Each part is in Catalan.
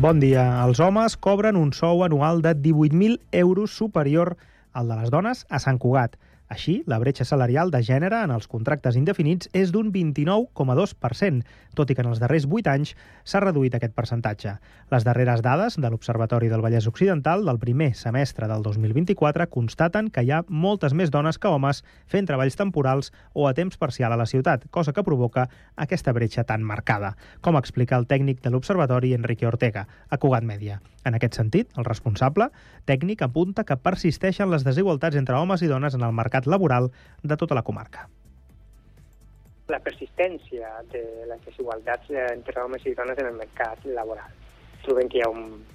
Bon dia. Els homes cobren un sou anual de 18.000 euros superior al de les dones a Sant Cugat. Així, la bretxa salarial de gènere en els contractes indefinits és d'un 29,2%, tot i que en els darrers 8 anys s'ha reduït aquest percentatge. Les darreres dades de l'Observatori del Vallès Occidental del primer semestre del 2024 constaten que hi ha moltes més dones que homes fent treballs temporals o a temps parcial a la ciutat, cosa que provoca aquesta bretxa tan marcada, com explica el tècnic de l'Observatori, Enrique Ortega, a Cugat Mèdia. En aquest sentit, el responsable tècnic apunta que persisteixen les desigualtats entre homes i dones en el mercat laboral de tota la comarca. La persistència de les desigualtats entre homes i dones en el mercat laboral. Trobem que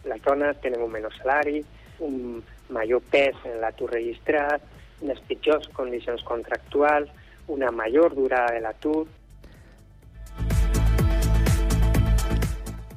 les dones tenen un menor salari, un major pes en l'atur registrat, unes pitjors condicions contractuals, una major durada de l'atur.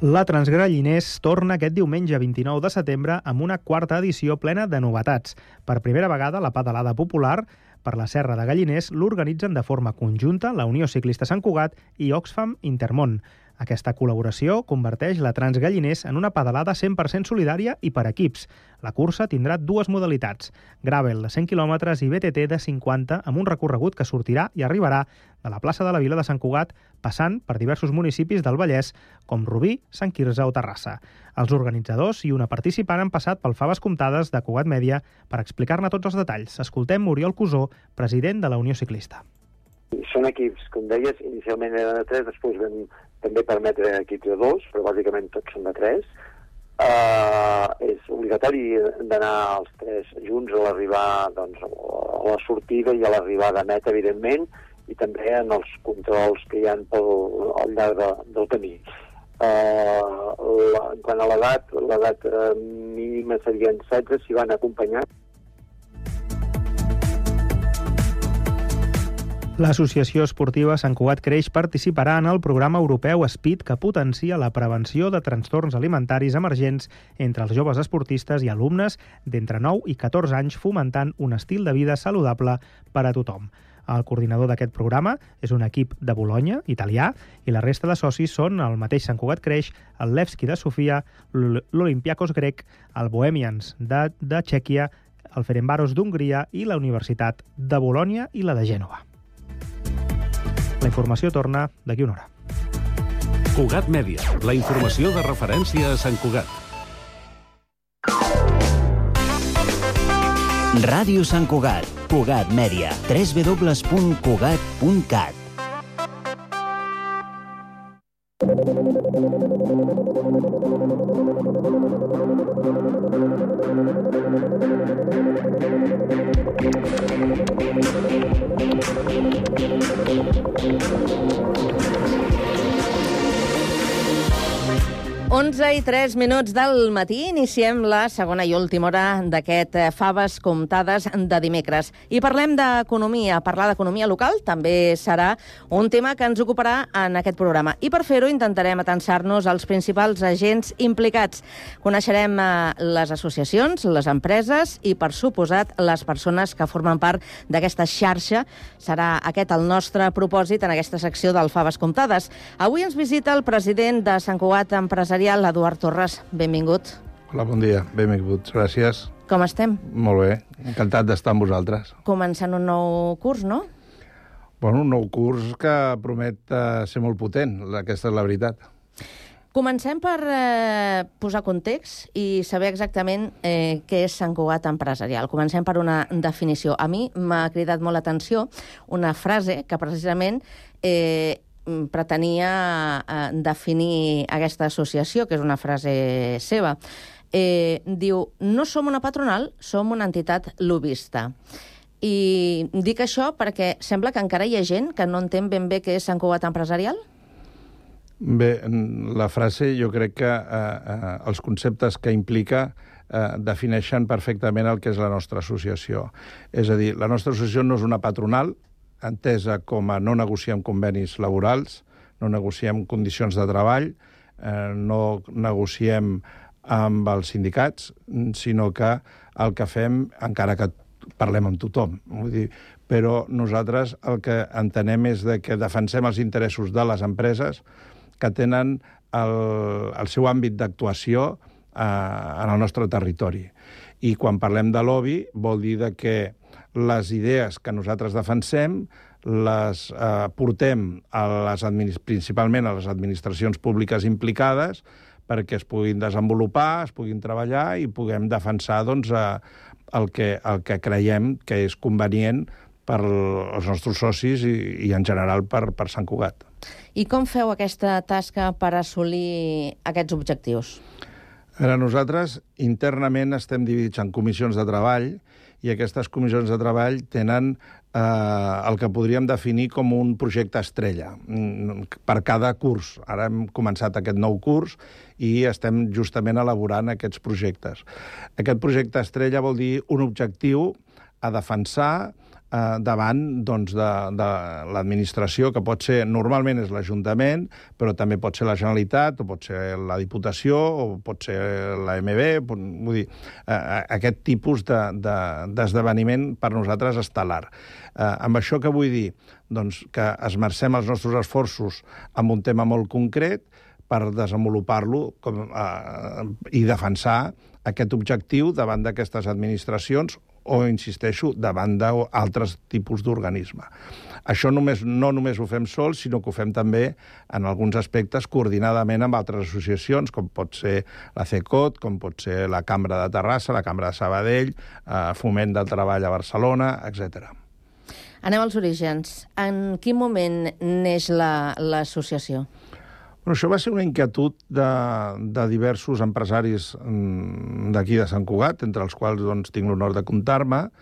La Transgalliners torna aquest diumenge 29 de setembre amb una quarta edició plena de novetats. Per primera vegada, la pedalada popular per la Serra de Galliners l'organitzen de forma conjunta la Unió Ciclista Sant Cugat i Oxfam Intermón. Aquesta col·laboració converteix la Transgalliners en una pedalada 100% solidària i per equips. La cursa tindrà dues modalitats, gravel de 100 km i BTT de 50, amb un recorregut que sortirà i arribarà de la plaça de la Vila de Sant Cugat, passant per diversos municipis del Vallès, com Rubí, Sant Quirze o Terrassa. Els organitzadors i una participant han passat pel Faves Comptades de Cugat Mèdia per explicar-ne tots els detalls. Escoltem Oriol Cusó, president de la Unió Ciclista. Són equips, com deies, inicialment eren de 3, després vam també permetre equips de 2, però bàsicament tots són de 3. És obligatori d'anar els 3 junts a l'arribar, doncs, a la sortida i a l'arribada neta, evidentment, i també en els controls que hi ha al llarg del camí. Quant a l'edat mínima serien 16 si van acompanyar. L'Associació Esportiva Sant Cugat Creix participarà en el programa europeu SPID que potencia la prevenció de trastorns alimentaris emergents entre els joves esportistes i alumnes d'entre 9 i 14 anys, fomentant un estil de vida saludable per a tothom. El coordinador d'aquest programa és un equip de Bolonya, italià, i la resta de socis són el mateix Sant Cugat Creix, el Levski de Sofia, l'Olympiakos grec, el Bohemians de Txèquia, el Ferencváros d'Hongria i la Universitat de Bolònia i la de Gènova. La informació torna d'aquí una hora. Cugat Mèdia, la informació de referència a Sant Cugat. Ràdio Sant Cugat, Cugat Mèdia, www.cugat.cat. i 3 minuts del matí, iniciem la segona i última hora d'aquest Faves Comptades de dimecres. I parlem d'economia. Parlar d'economia local també serà un tema que ens ocuparà en aquest programa. I per fer-ho intentarem atansar-nos als principals agents implicats. Coneixerem les associacions, les empreses i, per suposat, les persones que formen part d'aquesta xarxa. Serà aquest el nostre propòsit en aquesta secció del Faves Comptades. Avui ens visita el president de Sant Cugat Empresarial, Eduard Torres. Benvingut. Hola, bon dia. Benvinguts. Gràcies. Com estem? Molt bé. Encantat d'estar amb vosaltres. Començant un nou curs, no? Bueno, un nou curs que promet ser molt potent. Aquesta és la veritat. Comencem per posar context i saber exactament què és Sant Cugat Empresarial. Comencem per una definició. A mi m'ha cridat molt l'atenció una frase que precisament pretenia definir aquesta associació, que és una frase seva. Diu, no som una patronal, som una entitat lobbista. I dic això perquè sembla que encara hi ha gent que no entén ben bé què és Sant Cugat Empresarial. Bé, la frase jo crec que els conceptes que implica defineixen perfectament el que és la nostra associació. És a dir, la nostra associació no és una patronal, entesa com a no negociem convenis laborals, no negociem condicions de treball, no negociem amb els sindicats, sinó que el que fem, encara que parlem amb tothom, vull dir, però nosaltres el que entenem és que defensem els interessos de les empreses que tenen el seu àmbit d'actuació en el nostre territori. I quan parlem de lobby vol dir que les idees que nosaltres defensem les portem principalment a les administracions públiques implicades perquè es puguin desenvolupar, es puguin treballar i puguem defensar el que creiem que és convenient per als nostres socis i en general per Sant Cugat. I com feu aquesta tasca per assolir aquests objectius? Nosaltres internament estem dividits en comissions de treball i aquestes comissions de treball tenen el que podríem definir com un projecte estrella per cada curs. Ara hem començat aquest nou curs i estem justament elaborant aquests projectes. Aquest projecte estrella vol dir un objectiu a defensar davant de l'administració, que pot ser, normalment és l'Ajuntament, però també pot ser la Generalitat, o pot ser la Diputació, o pot ser l'AMB, vull dir, aquest tipus d'esdeveniment per nosaltres estel·lar. Amb això què vull dir? Doncs que esmercem els nostres esforços en un tema molt concret per desenvolupar-lo i defensar aquest objectiu davant d'aquestes administracions o, insisteixo, davant d'altres tipus d'organisme. Això no només ho fem sols, sinó que ho fem també, en alguns aspectes, coordinadament amb altres associacions, com pot ser la CECOT, com pot ser la Cambra de Terrassa, la Cambra de Sabadell, Foment del Treball a Barcelona, etc. Anem als orígens. En quin moment neix l'associació? Això va ser una inquietud de diversos empresaris d'aquí de Sant Cugat, entre els quals tinc l'honor de comptar-me,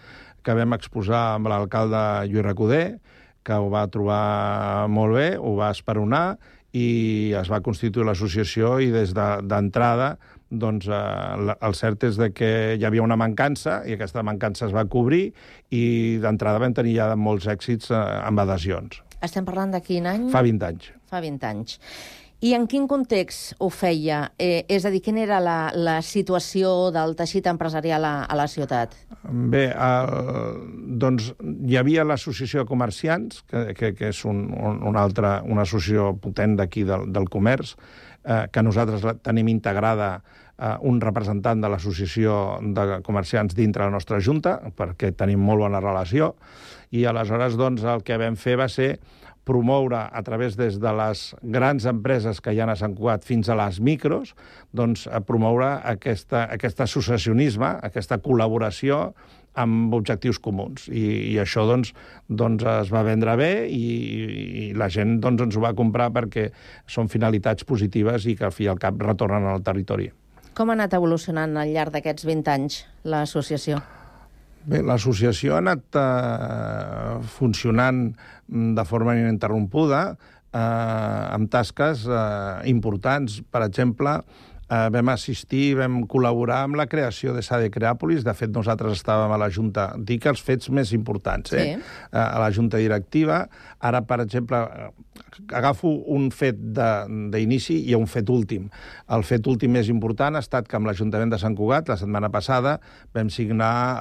que vam exposar amb l'alcalde Lluís Recoder, que ho va trobar molt bé, ho va esperonar, i es va constituir l'associació i des d'entrada el cert és que hi havia una mancança i aquesta mancança es va cobrir i d'entrada vam tenir ja molts èxits amb adhesions. Estem parlant de quin any? Fa 20 anys. Fa 20 anys. I en quin context ho feia? És a dir, quina era la situació del teixit empresarial a la ciutat? Bé, hi havia l'Associació de Comerciants, que és una associació potent d'aquí del comerç, que nosaltres tenim integrada un representant de l'Associació de Comerciants dintre la nostra Junta, perquè tenim molt bona relació, i aleshores el que vam fer va ser promoure a través des de les grans empreses que hi ha a Sant Cugat fins a les micros, promoure aquest associacionisme, aquesta col·laboració amb objectius comuns. I això es va vendre bé i la gent ens ho va comprar perquè són finalitats positives i que al fi i al cap retornen al territori. Com ha anat evolucionant al llarg d'aquests 20 anys l'associació? Bé, l'associació ha anat funcionant de forma ininterrompuda amb tasques importants. Per exemple, vam assistir, vam col·laborar amb la creació de SADE Creàpolis. De fet, nosaltres estàvem a la Junta, dic els fets més importants, a la Junta Directiva. Ara, per exemple, agafo un fet d'inici i un fet últim. El fet últim més important ha estat que amb l'Ajuntament de Sant Cugat, la setmana passada, vam signar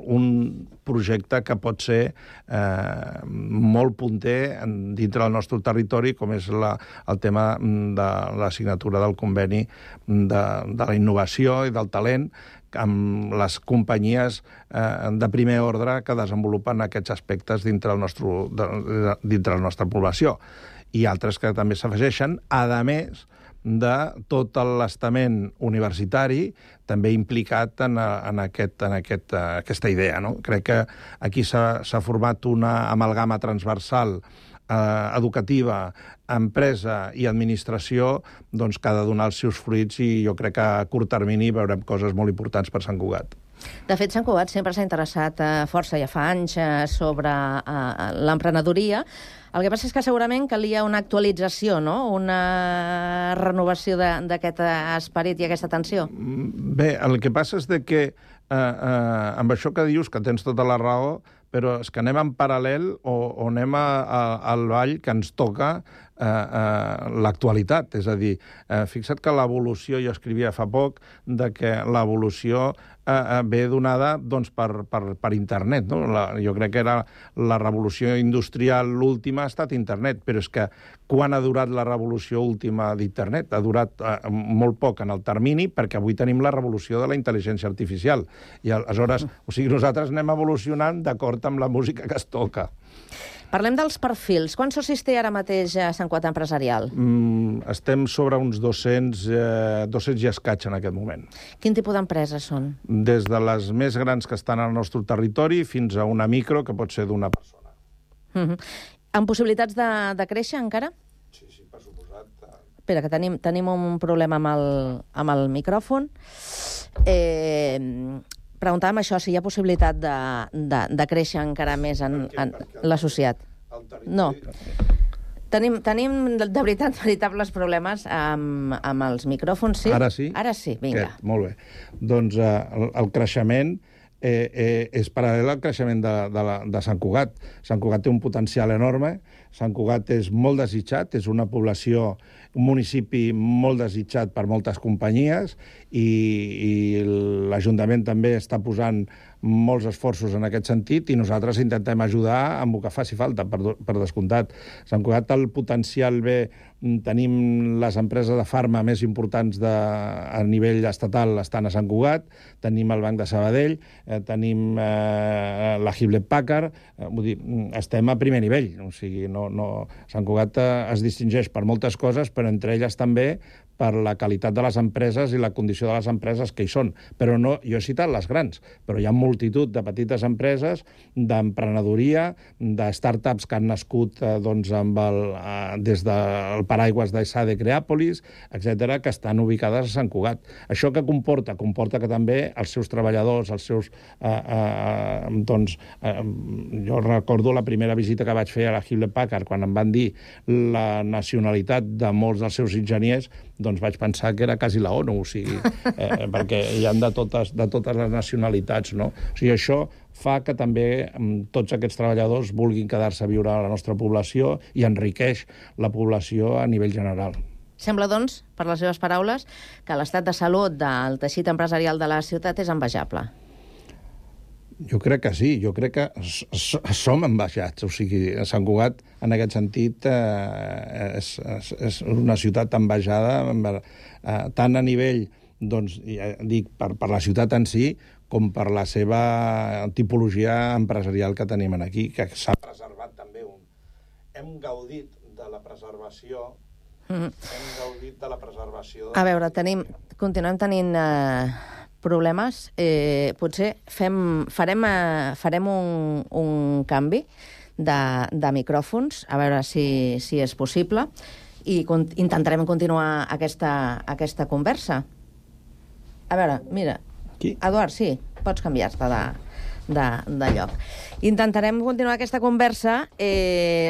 un projecte que pot ser molt punter dintre del nostre territori, com és el tema de la signatura del conveni de la innovació i del talent amb les companyies de primer ordre que desenvolupen aquests aspectes dintre la nostra població. I altres que també s'afegeixen, a més de tot l'estament universitari també implicat en aquesta idea. No? Crec que aquí s'ha format una amalgama transversal educativa, empresa i administració que ha de donar els seus fruits i jo crec que a curt termini veurem coses molt importants per Sant Cugat. De fet, Sant Cugat sempre s'ha interessat força, ja fa anys, sobre l'emprenedoria. El que passa és que segurament calia una actualització, no? Una renovació d'aquest esperit i aquesta atenció. Bé, el que passa és que amb això que dius, que tens tota la raó, però és que anem en paral·lel o anem al ball que ens toca l'actualitat. És a dir, fixa't que l'evolució, jo escrivia fa poc, de que l'evolució ve donada doncs, per internet. No? Jo crec que era la revolució industrial l'última ha estat internet, però és que quan ha durat la revolució última d'internet? Ha durat molt poc en el termini, perquè avui tenim la revolució de la intel·ligència artificial. I aleshores, nosaltres anem evolucionant d'acord amb la música que es toca. Parlem dels perfils. Quants socis té ara mateix a Sant Cugat Empresarial? Estem sobre uns 200 i escaig en aquest moment. Quin tipus d'empreses són? Des de les més grans que estan al nostre territori fins a una micro, que pot ser d'una persona. Amb possibilitats de créixer encara? Sí, per suposat. Espera, que tenim un problema amb el micròfon. Preguntàvem això, si hi ha possibilitat de créixer encara més en l'associat. No. Tenim de veritat veritables problemes amb els micròfons, sí? Ara sí? Ara sí, vinga. Molt bé. Doncs el creixement és paral·lel al creixement de Sant Cugat. Sant Cugat té un potencial enorme, Sant Cugat és molt desitjat, és una població, un municipi molt desitjat per moltes companyies i l'Ajuntament també està posant molts esforços en aquest sentit i nosaltres intentem ajudar amb el que faci falta, per descomptat. Sant Cugat el potencial bé, tenim les empreses de farma més importants a nivell estatal estan a Sant Cugat, tenim el Banc de Sabadell, tenim la Hewlett Packard, vull dir, estem a primer nivell, o sigui, Sant Cugat es distingeix per moltes coses, però entre elles també per la qualitat de les empreses i la condició de les empreses que hi són. Però no, jo he citat les grans, però hi ha multitud de petites empreses, d'emprenedoria, de startups que han nascut doncs, des del paraigües d'ESADE Creàpolis, etc., que estan ubicades a Sant Cugat. Això què comporta? Comporta que també els seus treballadors, els seus... jo recordo la primera visita que vaig fer a la Hewlett Packard, quan em van dir la nacionalitat de molts dels seus enginyers, doncs vaig pensar que era quasi la ONU, o sigui, perquè hi ha de totes les nacionalitats, no? O sigui, això fa que també tots aquests treballadors vulguin quedar-se a viure a la nostra població i enriqueix la població a nivell general. Sembla, doncs, per les seves paraules, que l'estat de salut del teixit empresarial de la ciutat és envejable. Jo crec que sí, jo crec que som envejats, o sigui, Sant Cugat en aquest sentit és una ciutat envejada tant a nivell, doncs, dic, per la ciutat en si, com per la seva tipologia empresarial que tenim aquí, que s'ha preservat també. Hem gaudit de la preservació. Hem gaudit de la preservació. A veure, continuem tenint problemes. Potser farem un canvi de micròfons, a veure si és possible, i intentarem continuar aquesta conversa. A veure, mira, Eduard, sí, pots canviar-te de lloc. Intentarem continuar aquesta conversa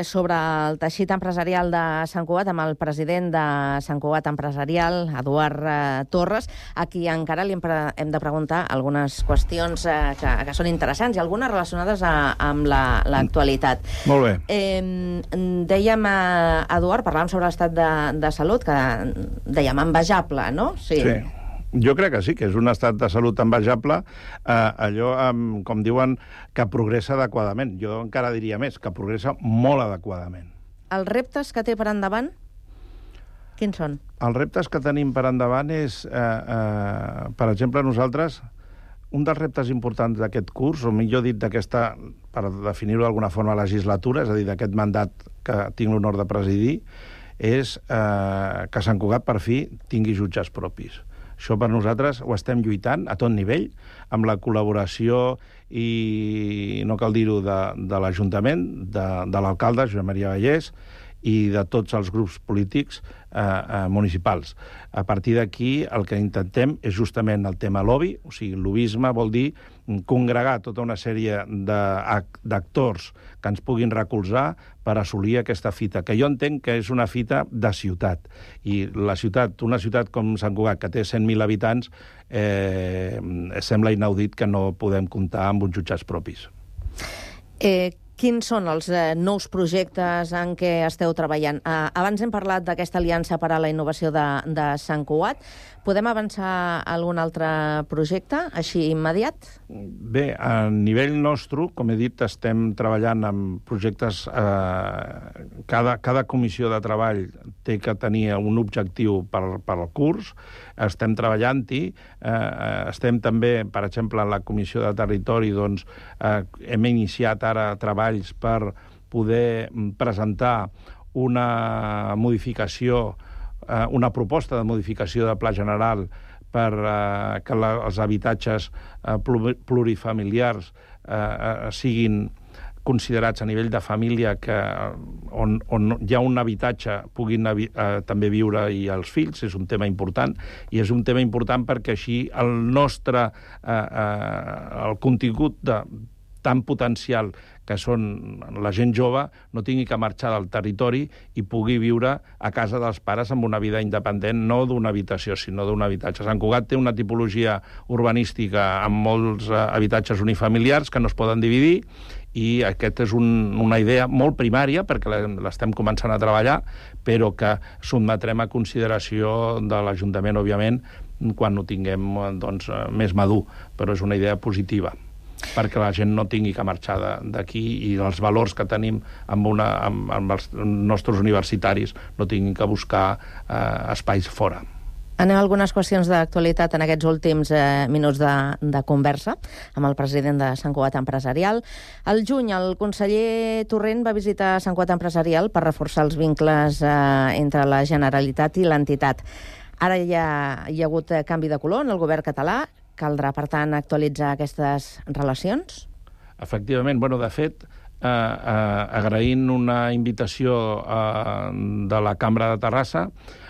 sobre el teixit empresarial de Sant Cugat amb el president de Sant Cugat Empresarial, Eduard Torres, a qui encara li hem de preguntar algunes qüestions que són interessants i algunes relacionades amb l'actualitat. Molt bé. Dèiem, Eduard, parlàvem sobre l'estat de salut, que dèiem envejable, no? Sí. Jo crec que sí, que és un estat de salut envejable, allò, com diuen, que progressa adequadament. Jo encara diria més, que progressa molt adequadament. Els reptes que té per endavant, quins són? Els reptes que tenim per endavant és, per exemple, nosaltres, un dels reptes importants d'aquest curs, o millor dit, per definir-ho d'alguna forma, legislatura, és a dir, d'aquest mandat que tinc l'honor de presidir, és que Sant Cugat, per fi, tingui jutges propis. Això per nosaltres ho estem lluitant a tot nivell, amb la col·laboració i, no cal dir-ho, de l'Ajuntament, de l'alcalde, Josep Maria Vallès, i de tots els grups polítics municipals. A partir d'aquí el que intentem és justament el tema lobby, o sigui, el lobbyisme vol dir congregar tota una sèrie d'actors que ens puguin recolzar per assolir aquesta fita, que jo entenc que és una fita de ciutat. I una ciutat com Sant Cugat, que té 100.000 habitants, sembla inaudit que no podem comptar amb uns jutjats propis. Quins són els nous projectes en què esteu treballant? Abans hem parlat d'aquesta aliança per a la innovació de Sant Cugat. Podem avançar algun altre projecte, així immediat? Bé, a nivell nostre, com he dit, estem treballant amb projectes... Cada comissió de treball té que tenir un objectiu per al curs. Estem treballant-hi. Estem també, per exemple, en la comissió de territori, doncs, hem iniciat ara treballs per poder presentar una modificació, una proposta de modificació de pla general per que els habitatges plurifamiliars siguin considerats a nivell de família on hi ha un habitatge puguin també viure i els fills. És un tema important, i és un tema important perquè així el nostre el contingut tan potencial que són la gent jove no tingui que marxar del territori i pugui viure a casa dels pares amb una vida independent, no d'una habitació, sinó d'un habitatge. Sant Cugat té una tipologia urbanística amb molts habitatges unifamiliars que no es poden dividir, i aquesta és una idea molt primària, perquè l'estem començant a treballar, però que sotmetrem a consideració de l'Ajuntament, òbviament, quan ho tinguem doncs, més madur, però és una idea positiva, perquè la gent no tingui que marxar d'aquí i els valors que tenim amb els nostres universitaris no tinguin que buscar espais fora. Anem a algunes qüestions d'actualitat en aquests últims minuts de conversa amb el president de Sant Cugat Empresarial. Al juny, el conseller Torrent va visitar Sant Cugat Empresarial per reforçar els vincles entre la Generalitat i l'entitat. Ara hi ha hagut canvi de color en el govern català. Caldrà, per tant, actualitzar aquestes relacions? Efectivament. De fet, agraint una invitació de la Cambra de Terrassa,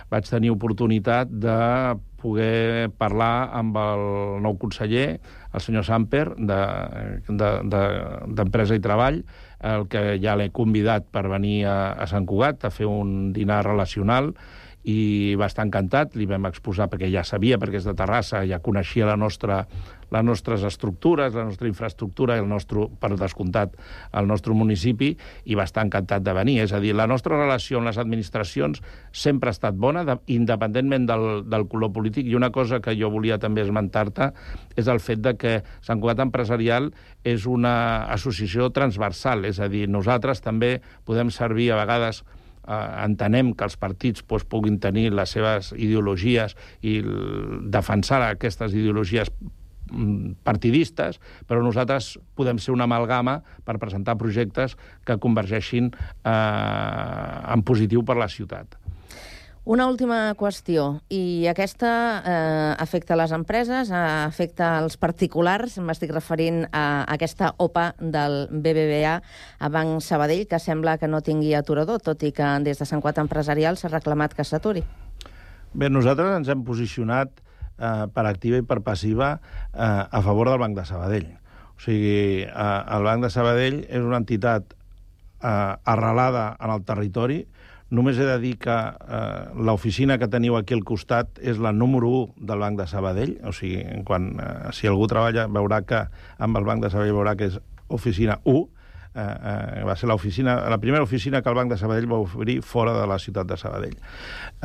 vaig tenir oportunitat de poder parlar amb el nou conseller, el senyor Samper, d'Empresa i Treball, el que ja l'he convidat per venir a Sant Cugat a fer un dinar relacional, i va estar encantat. Li vam exposar, perquè ja sabia, perquè és de Terrassa, ja coneixia les nostres estructures, la nostra infraestructura, per descomptat, el nostre municipi, i va estar encantat de venir. És a dir, la nostra relació amb les administracions sempre ha estat bona, independentment del color polític, i una cosa que jo volia també esmentar-te és el fet de que Sant Cugat Empresarial és una associació transversal, és a dir, nosaltres també podem servir a vegades. Entenem que els partits puguin tenir les seves ideologies i defensar aquestes ideologies partidistes, però nosaltres podem ser una amalgama per presentar projectes que convergeixin en positiu per la ciutat. Una última qüestió, i aquesta afecta les empreses, afecta els particulars. M'estic referint a aquesta OPA del BBVA a Banc Sabadell, que sembla que no tingui aturador, tot i que des de Sant Cugat Empresarial s'ha reclamat que s'aturi. Bé, nosaltres ens hem posicionat per activa i per passiva a favor del Banc de Sabadell. O sigui, el Banc de Sabadell és una entitat arrelada en el territori. Només he de dir que l'oficina que teniu aquí al costat és la número 1 del Banc de Sabadell. O sigui, si algú treballa, veurà que amb el Banc de Sabadell veurà que és oficina 1. Va ser la primera oficina que el Banc de Sabadell va obrir fora de la ciutat de Sabadell.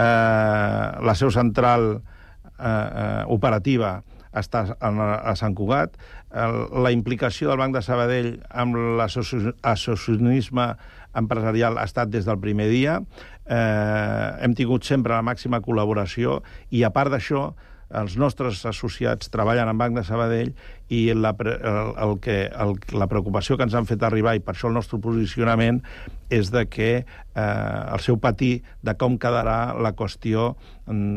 La seu central operativa està a Sant Cugat. La implicació del Banc de Sabadell amb l'associacionisme empresarial ha estat des del primer dia. Hem tingut sempre la màxima col·laboració, i a part d'això, els nostres associats treballen en Banc de Sabadell, i la preocupació que ens han fet arribar, i per això el nostre posicionament, és de que el seu patir de com quedarà la qüestió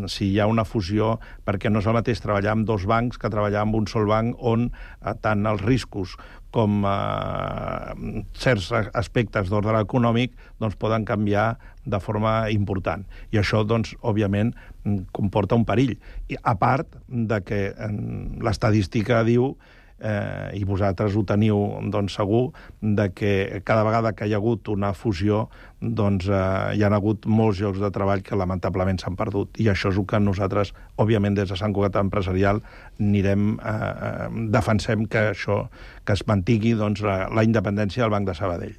si hi ha una fusió, perquè no és el mateix treballar amb dos bancs que treballar amb un sol banc, on tant els riscos com certs aspectes d'ordre econòmic doncs, poden canviar de forma important. I això, doncs, òbviament, comporta un perill. I a part de que l'estadística diu i vosaltres ho teniu segur, de que cada vegada que hi ha hagut una fusió hi ha hagut molts llocs de treball que lamentablement s'han perdut. I això és el que nosaltres, òbviament, des de Sant Cugat Empresarial defensem que es mantingui la independència del Banc de Sabadell.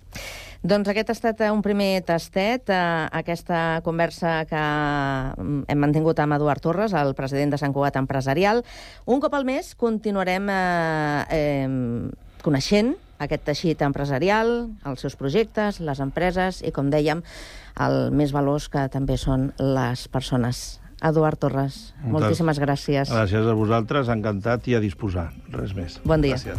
Doncs aquest ha estat un primer tastet, aquesta conversa que hem mantingut amb Eduard Torres, el president de Sant Cugat Empresarial. Un cop al mes continuarem coneixent aquest teixit empresarial, els seus projectes, les empreses i, com dèiem, el més valós que també són les persones. Eduard Torres, moltíssimes gràcies. Gràcies a vosaltres, encantat i a disposar. Res més. Bon dia. Gràcies.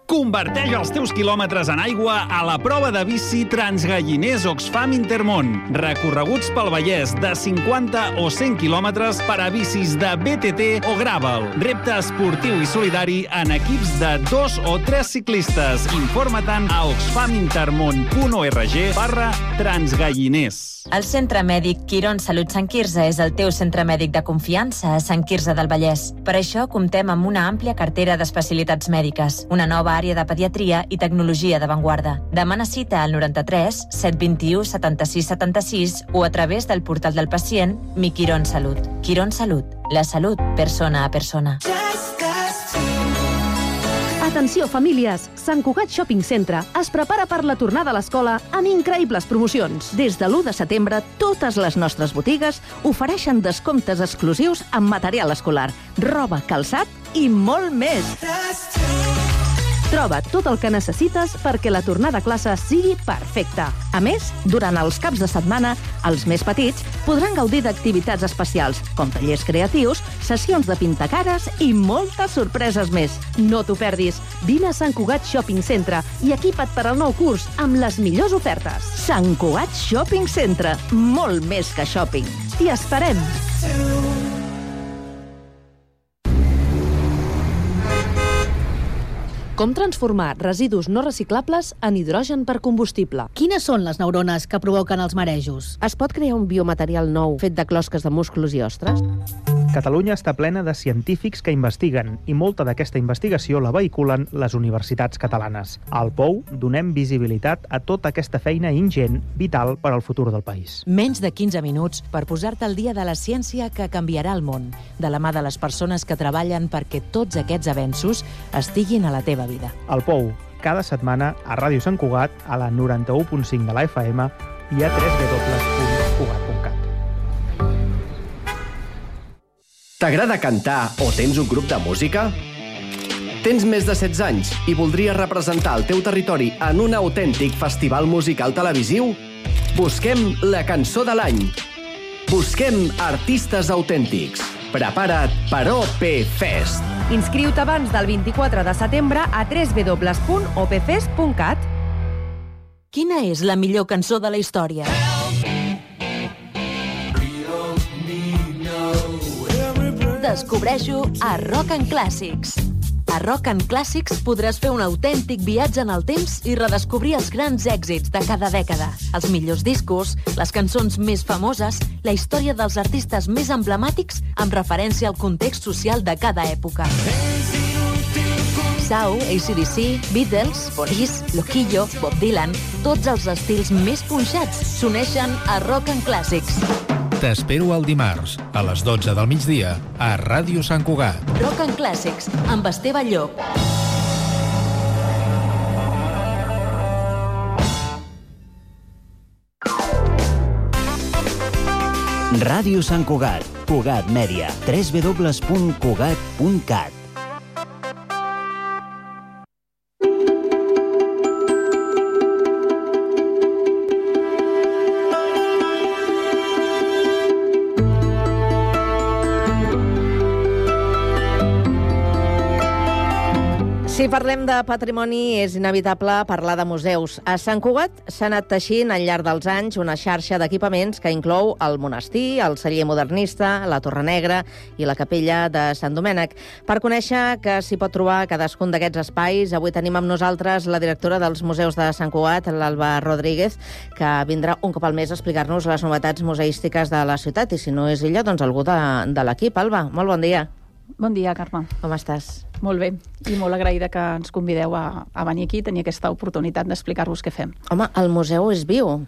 Converteix els teus quilòmetres en aigua a la prova de bici Transgalliners Oxfam Intermón. Recorreguts pel Vallès de 50 o 100 quilòmetres per a bicis de BTT o Gravel. Repte esportiu i solidari en equips de 2 o 3 ciclistes. Informa-te'n a oxfamintermon.org/transgalliners. El Centre Mèdic Quirón Salut Sant Quirze és el teu centre mèdic de confiança a Sant Quirze del Vallès. Per això comptem amb una àmplia cartera d'especialitats mèdiques, una nova àrea de pediatria i tecnologia d'avantguarda. Demana cita al 93 721 76 76 o a través del portal del pacient Mi Quirón Salut. Quirón Salut, la salut persona a persona. Atenció, famílies! Sant Cugat Shopping Centre es prepara per la tornada a l'escola amb increïbles promocions. Des de l'1 de setembre, totes les nostres botigues ofereixen descomptes exclusius en material escolar, roba, calçat i molt més. Troba tot el que necessites perquè la tornada a classe sigui perfecta. A més, durant els caps de setmana, els més petits podran gaudir d'activitats especials, com tallers creatius, sessions de pintacares i moltes sorpreses més. No t'ho perdis. Vine a Sant Cugat Shopping Centre i equipa't per al nou curs amb les millors ofertes. Sant Cugat Shopping Centre. Molt més que shopping. T'hi esperem. Com transformar residus no reciclables en hidrogen per combustible? Quines són les neurones que provoquen els marejos? Es pot crear un biomaterial nou fet de closques de músculs i ostres? Catalunya està plena de científics que investiguen i molta d'aquesta investigació la vehiculen les universitats catalanes. Al POU donem visibilitat a tota aquesta feina ingent, vital per al futur del país. Menys de 15 minuts per posar-te al dia de la ciència que canviarà el món, de la mà de les persones que treballen perquè tots aquests avenços estiguin a la teva vida. Al POU, cada setmana a Ràdio Sant Cugat, a la 91.5 de la FM i a www.cugat.cat. T'agrada cantar o tens un grup de música? Tens més de 16 anys i voldries representar el teu territori en un autèntic festival musical televisiu? Busquem la cançó de l'any. Busquem artistes autèntics. Prepara't per OP Fest. Inscriu-te abans del 24 de setembre a www.opfest.cat. Quina és la millor cançó de la història? Descobreix-ho a Rock and Classics. A Rock and Classics podràs fer un autèntic viatge en el temps i redescobrir els grans èxits de cada dècada, els millors discos, les cançons més famoses, la història dels artistes més emblemàtics amb referència al context social de cada època. Sau, AC/DC, Beatles, Police, Loquillo, Bob Dylan, tots els estils més punxats s'uneixen a Rock and Classics. T'espero el dimarts, a les 12 del migdia, a Ràdio Sant Cugat. Rock and Classics, amb Esteve Llop. Ràdio Sant Cugat, Cugat Mèdia, www.cugat.cat. Si Si parlem de patrimoni, és inevitable parlar de museus. A Sant Cugat s'ha anat teixint al llarg dels anys una xarxa d'equipaments que inclou el monestir, el celler modernista, la Torre Negra i la capella de Sant Domènec. Per conèixer què s'hi pot trobar a cadascun d'aquests espais, avui tenim amb nosaltres la directora dels museus de Sant Cugat, l'Alba Rodríguez, que vindrà un cop al mes a explicar-nos les novetats museístiques de la ciutat. I si no és ella, doncs algú de l'equip. Alba, molt bon dia. Bon dia, Carme. Com estàs? Molt bé, i molt agraïda que ens convideu a venir aquí i tenir aquesta oportunitat d'explicar-vos què fem. Home, el museu és viu,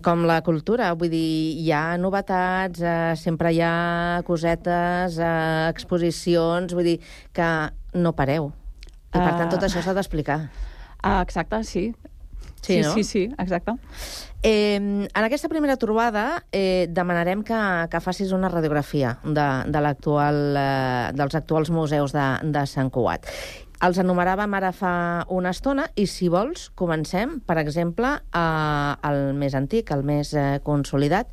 com la cultura. Vull dir, hi ha novetats, sempre hi ha cosetes, exposicions, vull dir que no pareu. I per tant tot això s'ha d'explicar. Exacte, sí. Sí, no? Sí, exacte. En aquesta primera trobada demanarem que facis una radiografia dels actuals museus de Sant Cugat. Els enumeràvem ara fa una estona i, si vols, comencem, per exemple, el més antic, el més consolidat,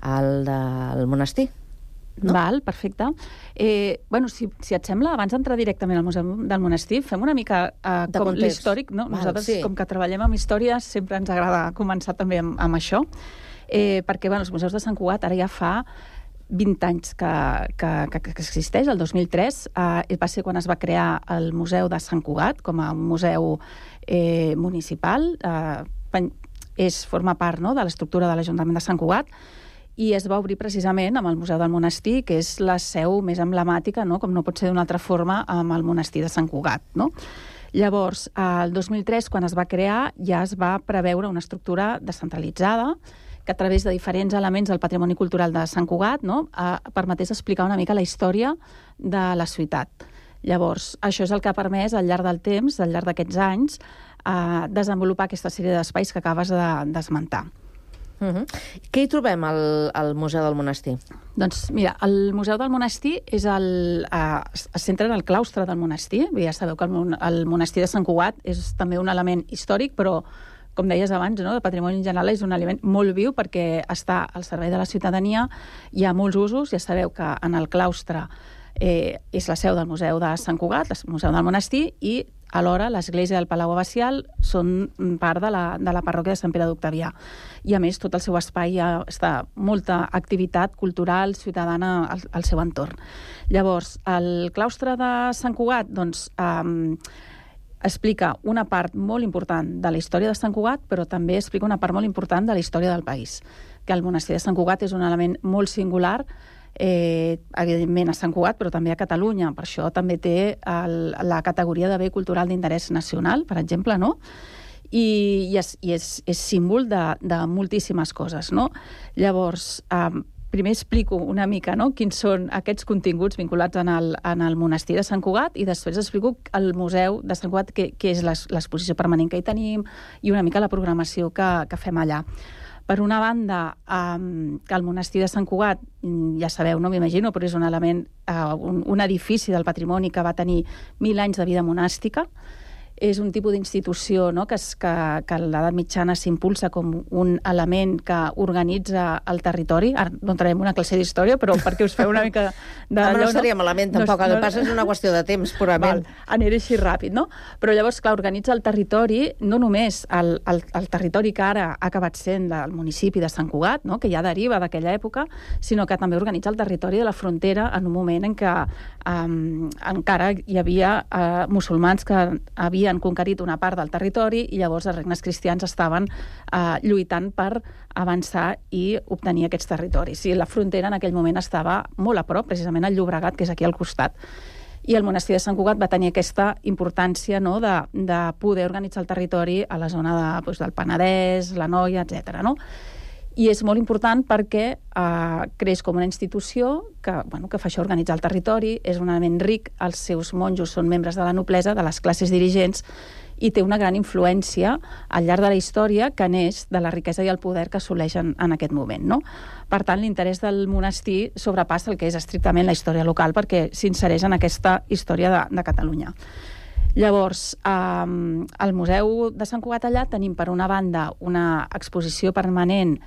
el del monestir. No? Val, perfecte. Si et sembla, abans d'entrar directament al Museu del Monestir, fem una mica com l'històric. No? Nosaltres, com que treballem amb història, sempre ens agrada començar també amb això, perquè els museus de Sant Cugat ara ja fa 20 anys que existeix. El 2003 va ser quan es va crear el Museu de Sant Cugat com a museu municipal. Forma part, no?, de l'estructura de l'Ajuntament de Sant Cugat, i es va obrir precisament amb el Museu del Monestir, que és la seu més emblemàtica, no?, com no pot ser d'una altra forma, amb el Monestir de Sant Cugat. No? Llavors, el 2003, quan es va crear, ja es va preveure una estructura descentralitzada que a través de diferents elements del patrimoni cultural de Sant Cugat, no?, permetés explicar una mica la història de la ciutat. Llavors, això és el que ha permès al llarg del temps, al llarg d'aquests anys, desenvolupar aquesta sèrie d'espais que acabes d'esmentar. Què hi trobem al Museu del Monestir? Doncs mira, el Museu del Monestir es centra en el claustre del monestir. Ja sabeu que el monestir de Sant Cugat és també un element històric, però, com deies abans, no?, de patrimoni en general, és un element molt viu perquè està al servei de la ciutadania, hi ha molts usos. Ja sabeu que en el claustre és la seu del Museu de Sant Cugat, el Museu del Monestir, i alhora l'església del Palau Abacial són part de la parròquia de Sant Pere d'Octavià. I a més, tot el seu espai està molta activitat cultural, ciutadana al seu entorn. Llavors, el claustre de Sant Cugat explica una part molt important de la història de Sant Cugat, però també explica una part molt important de la història del país. Que el monestir de Sant Cugat és un element molt singular, evidentment a Sant Cugat, però també a Catalunya. Per això també té la categoria de bé cultural d'interès nacional, per exemple, no? I és símbol de moltíssimes coses, no? Llavors, primer explico una mica, no?, quins són aquests continguts vinculats en el monestir de Sant Cugat, i després explico el Museu de Sant Cugat, que és l'exposició permanent que hi tenim, i una mica la programació que fem allà. Per una banda, que el monestir de Sant Cugat, ja sabeu, no m'imagino, però és un element, un edifici del patrimoni que va tenir 1000 anys de vida monàstica. És un tipus d'institució, no?, que a l'edat mitjana s'impulsa com un element que organitza el territori. Ara no entrarem en una classe d'història, però perquè us feu una mica de... No seria malament, tampoc. El que passa és una qüestió de temps, purament. Aniré així ràpid, no? Però llavors, clar, organitza el territori, no només el territori que ara ha acabat sent el municipi de Sant Cugat, no?, que ja deriva d'aquella època, sinó que també organitza el territori de la frontera en un moment en què encara hi havia musulmans que havien conquerit una part del territori, i llavors els regnes cristians estaven lluitant per avançar i obtenir aquests territoris. I la frontera en aquell moment estava molt a prop, precisament al Llobregat, que és aquí al costat. I el monestir de Sant Cugat va tenir aquesta importància, no?, de poder organitzar el territori a la zona del Penedès, l'Anoia, etc. No? I és molt important perquè creix com una institució que fa això, organitzar el territori, és un element ric, els seus monjos són membres de la noblesa, de les classes dirigents, i té una gran influència al llarg de la història que neix de la riquesa i el poder que assoleixen en aquest moment. No? Per tant, l'interès del monestir sobrepassa el que és estrictament la història local, perquè s'insereix en aquesta història de Catalunya. Llavors, al Museu de Sant Cugat allà tenim, per una banda, una exposició permanent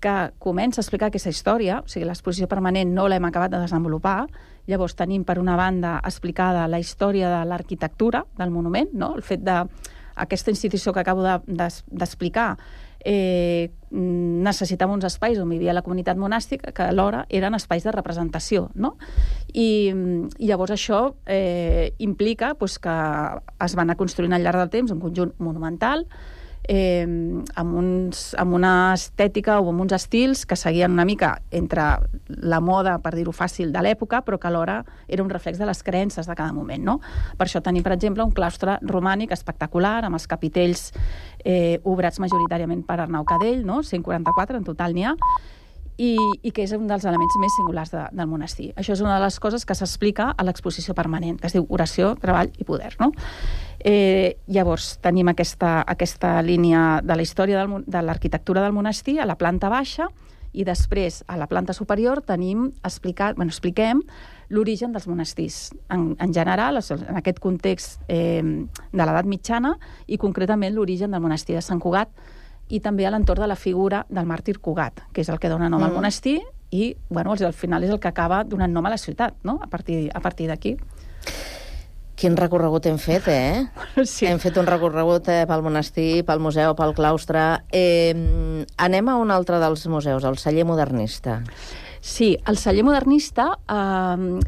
que comença a explicar aquesta història, o sigui, l'exposició permanent no l'hem acabat de desenvolupar, llavors tenim per una banda explicada la història de l'arquitectura del monument, no? El fet d'aquesta institució que acabo d'explicar necessitava uns espais on vivia la comunitat monàstica que alhora eren espais de representació, no? I llavors això implica que es van anar construint al llarg del temps un conjunt monumental amb una estètica o amb uns estils que seguien una mica entre la moda, per dir-ho fàcil, de l'època, però que alhora era un reflex de les creences de cada moment, no? Per això tenim, per exemple, un claustre romànic espectacular, amb els capitells obrats majoritàriament per Arnau Cadell, no? 144 en total n'hi ha, i que és un dels elements més singulars del monestir. Això és una de les coses que s'explica a l'exposició permanent, que es diu Oració, Treball i Poder, no? Llavors tenim aquesta línia de la història de l'arquitectura del monestir a la planta baixa, i després a la planta superior expliquem l'origen dels monestirs en general, en aquest context de l'edat mitjana, i concretament l'origen del monestir de Sant Cugat, i també a l'entorn de la figura del màrtir Cugat, que és el que dona nom al monestir, i al final és el que acaba donant nom a la ciutat, no? A partir d'aquí. Quin recorregut hem fet, Sí. Hem fet un recorregut pel monestir, pel museu, pel claustre. Anem a un altre dels museus, el Celler Modernista. Sí, el Celler Modernista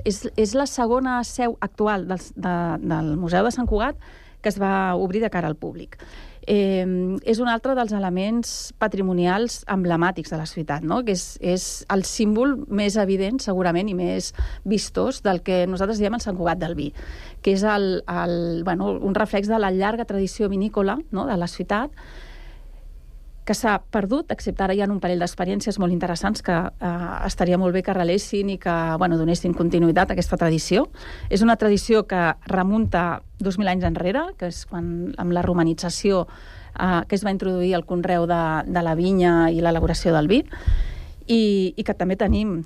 és la segona seu actual del Museu de Sant Cugat que es va obrir de cara al públic. És un altre dels elements patrimonials emblemàtics de la ciutat, no? Que és el símbol més evident, segurament, i més vistós del que nosaltres diem el Sant Cugat del vi, que és un reflex de la llarga tradició vinícola, no?, de la ciutat, que s'ha perdut, excepte ara hi ha un parell d'experiències molt interessants que estaria molt bé que relessin i que donessin continuïtat a aquesta tradició. És una tradició que remunta 2.000 anys enrere, que és quan amb la romanització que es va introduir el conreu de la vinya i l'elaboració del vi, i que també tenim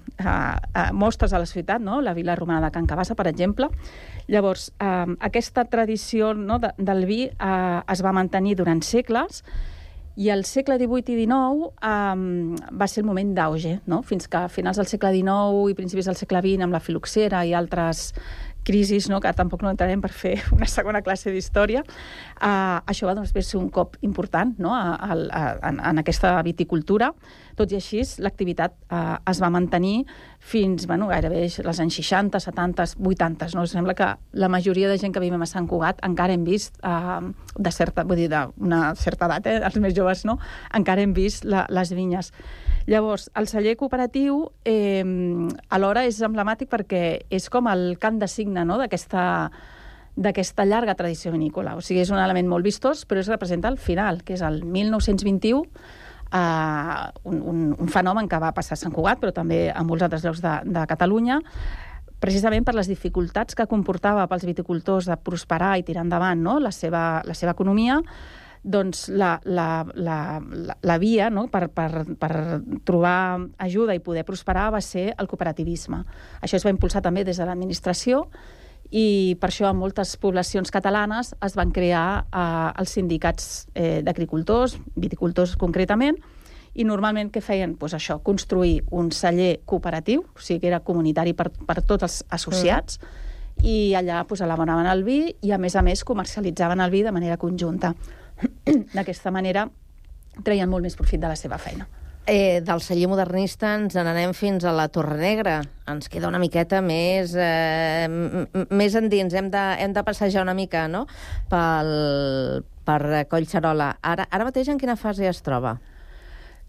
mostres a la ciutat, no? La vila romana de Can Cabassa, per exemple. Llavors, aquesta tradició, no, del vi es va mantenir durant segles, i el segle XVIII i XIX va ser el moment d'auge, no? Fins que a finals del segle XIX i principis del segle XX, amb la filoxera i altres crisis, no?, que tampoc no entrarem per fer una segona classe d'història, això va ser un cop important, no?, en aquesta viticultura. Tot i així, l'activitat es va mantenir fins gairebé els anys 60, 70, 80. No? Sembla que la majoria de gent que vivim a Sant Cugat encara hem vist, d'una certa edat, els més joves, no?, encara hem vist les vinyes. Llavors, el celler cooperatiu alhora és emblemàtic perquè és com el cant de signe, no?, d'aquesta llarga tradició vinícola. O sigui, és un element molt vistós, però es representa al final, que és el 1921, un fenomen que va passar a Sant Cugat, però també a molts altres llocs de Catalunya, precisament per les dificultats que comportava pels viticultors de prosperar i tirar endavant, no?, la seva economia. Doncs la via, no?, per trobar ajuda i poder prosperar va ser el cooperativisme. Això es va impulsar també des de l'administració, i per això en moltes poblacions catalanes es van crear els sindicats d'agricultors, viticultors concretament, i normalment què feien? Doncs això, construir un celler cooperatiu, o sigui que era comunitari per tots els associats, i allà elaboraven el vi i a més comercialitzaven el vi de manera conjunta. D'aquesta manera treien molt més profit de la seva feina. Del celler modernista ens n'anem fins a la Torre Negra. Ens queda una miqueta més endins. Hem de passejar una mica, no?, per Collserola. Ara mateix en quina fase es troba?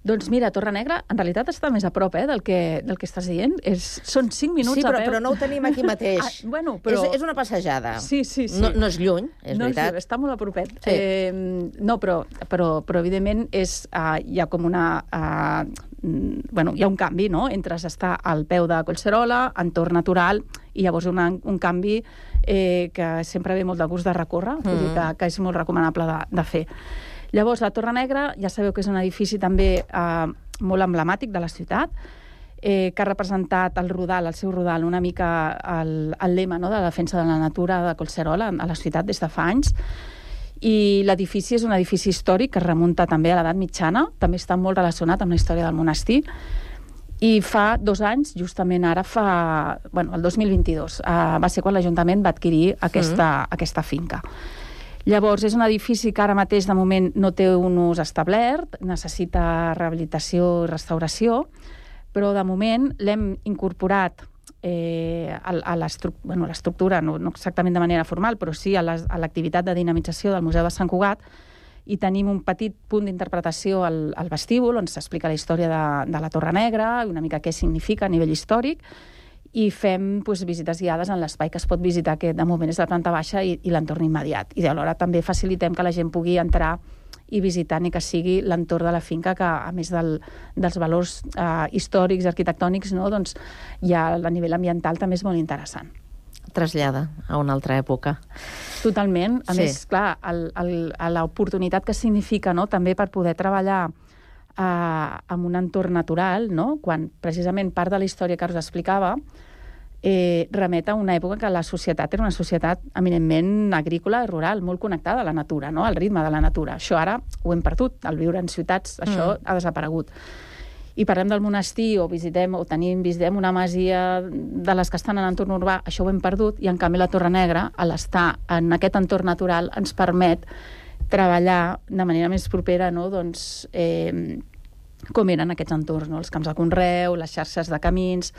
Doncs mira, Torre Negra en realitat està més a prop del que estàs dient. Són 5 minuts a peu. Sí, però no ho tenim aquí mateix. És una passejada. Sí. No és lluny, és veritat. Està molt a propet. No, però evidentment hi ha com una... hi ha un canvi, no?, entre estar al peu de Collserola, entorn natural, i llavors un canvi que sempre ve molt de gust de recórrer, vull dir que és molt recomanable de fer. Llavors, la Torre Negra, ja sabeu que és un edifici també molt emblemàtic de la ciutat, que ha representat el seu rodal, una mica el lema, no?, de la defensa de la natura de Collserola a la ciutat des de fa anys. I l'edifici és un edifici històric que es remunta també a l'edat mitjana, també està molt relacionat amb la història del monestir, i fa 2 anys, justament ara el 2022, va ser quan l'Ajuntament va adquirir aquesta finca. Llavors, és un edifici que ara mateix, de moment, no té un ús establert, necessita rehabilitació i restauració, però de moment l'hem incorporat a l'estructura, no exactament de manera formal, però sí a l'activitat de dinamització del Museu de Sant Cugat, i tenim un petit punt d'interpretació al vestíbul, on s'explica la història de la Torre Negra, una mica què significa a nivell històric, i fem visites guiades en l'espai que es pot visitar, que de moment és la planta baixa i l'entorn immediat. I alhora també facilitem que la gent pugui entrar i visitar, ni que sigui l'entorn de la finca, que a més dels valors històrics, arquitectònics, doncs ja a nivell ambiental també és molt interessant. Trasllada a una altra època. Totalment. A més, clar, l'oportunitat que significa també per poder treballar en un entorn natural, quan precisament part de la història que us explicava remet a una època que la societat era una societat eminentment agrícola i rural, molt connectada a la natura, al ritme de la natura. Això ara ho hem perdut, al viure en ciutats això ha desaparegut. I parlem del monestir o visitem una masia de les que estan en l'entorn urbà, això ho hem perdut, i en canvi la Torre Negra, a l'estar en aquest entorn natural, ens permet treballar de manera més propera com eren aquests entorns, els camps de conreu, les xarxes de camins.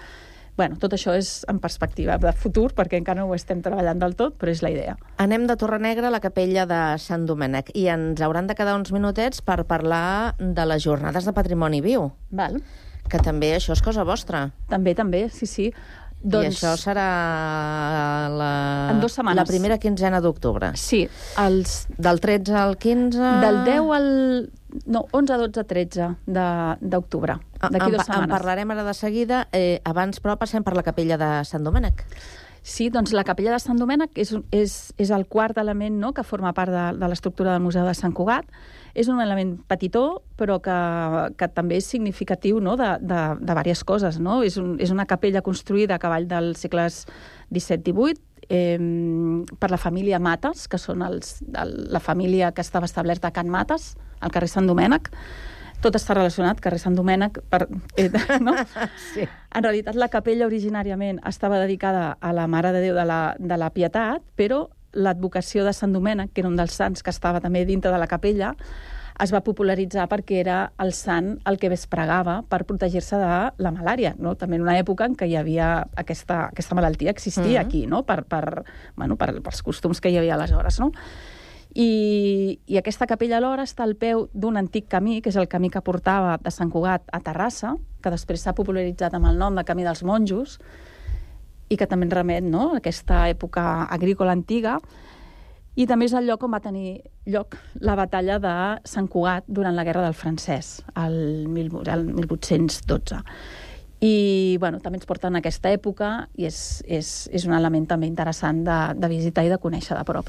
Tot això és en perspectiva de futur, perquè encara no ho estem treballant del tot, però és la idea. Anem de Torre Negra a la capella de Sant Domènec i ens hauran de quedar uns minutets per parlar de les jornades de patrimoni viu. Val. Que també això és cosa vostra. També, sí. I això serà en 2 setmanes. La primera quinzena d'octubre. Sí. Del 13 al 15... Del 10 al... No, 11, 12, 13 d'octubre, d'aquí 2 setmanes. En parlarem ara de seguida. Abans, però, passem per la capella de Sant Domènec. Sí, doncs la capella de Sant Domènec és el quart element que forma part de l'estructura del Museu de Sant Cugat. És un element petitó, però que també és significatiu de diverses coses. És una capella construïda a cavall dels segles XVII-XVIII, per la família Mates, que són la família que estava establerta a Can Mates, al carrer Sant Domènec. Tot està relacionat, carrer Sant Domènec, no? Sí. En realitat, la capella originàriament estava dedicada a la Mare de Déu de la Pietat, però l'advocació de Sant Domènec, que era un dels sants que estava també dintre de la capella, es va popularitzar perquè era el sant el que es pregava per protegir-se de la malària, també en una època en què hi havia aquesta malaltia existia aquí, pels costums que hi havia aleshores, no? I aquesta capella alhora està al peu d'un antic camí, que és el camí que portava de Sant Cugat a Terrassa, que després s'ha popularitzat amb el nom de Camí dels Monjos, i que també remet a aquesta època agrícola antiga, i també és el lloc on va tenir lloc la batalla de Sant Cugat durant la Guerra del Francès, el 1812. I també ens porta en aquesta època, i és un element també interessant de visitar i de conèixer de prop.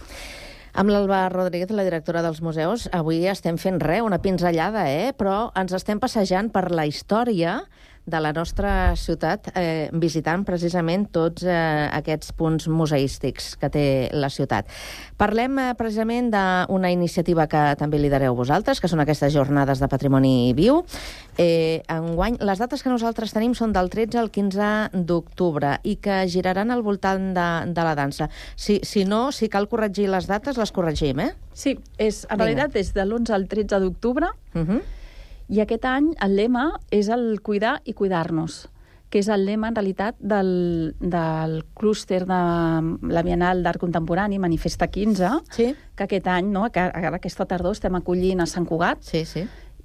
Amb l'Alba Rodríguez, la directora dels museus, avui estem fent una pinzellada, però ens estem passejant per la història de la nostra ciutat, visitant precisament tots aquests punts museístics que té la ciutat. Parlem precisament d'una iniciativa que també lidereu vosaltres, que són aquestes jornades de patrimoni viu. Enguany, les dates que nosaltres tenim són del 13 al 15 d'octubre i que giraran al voltant de la dansa. Si cal corregir les dates, les corregim, Sí, en realitat és de l'11 al 13 d'octubre, i aquest any el lema és el cuidar i cuidar-nos, que és el lema, en realitat, del clúster de la Bienal d'Art Contemporani, Manifesta 15, que aquest any, aquesta tardor, estem acollint a Sant Cugat.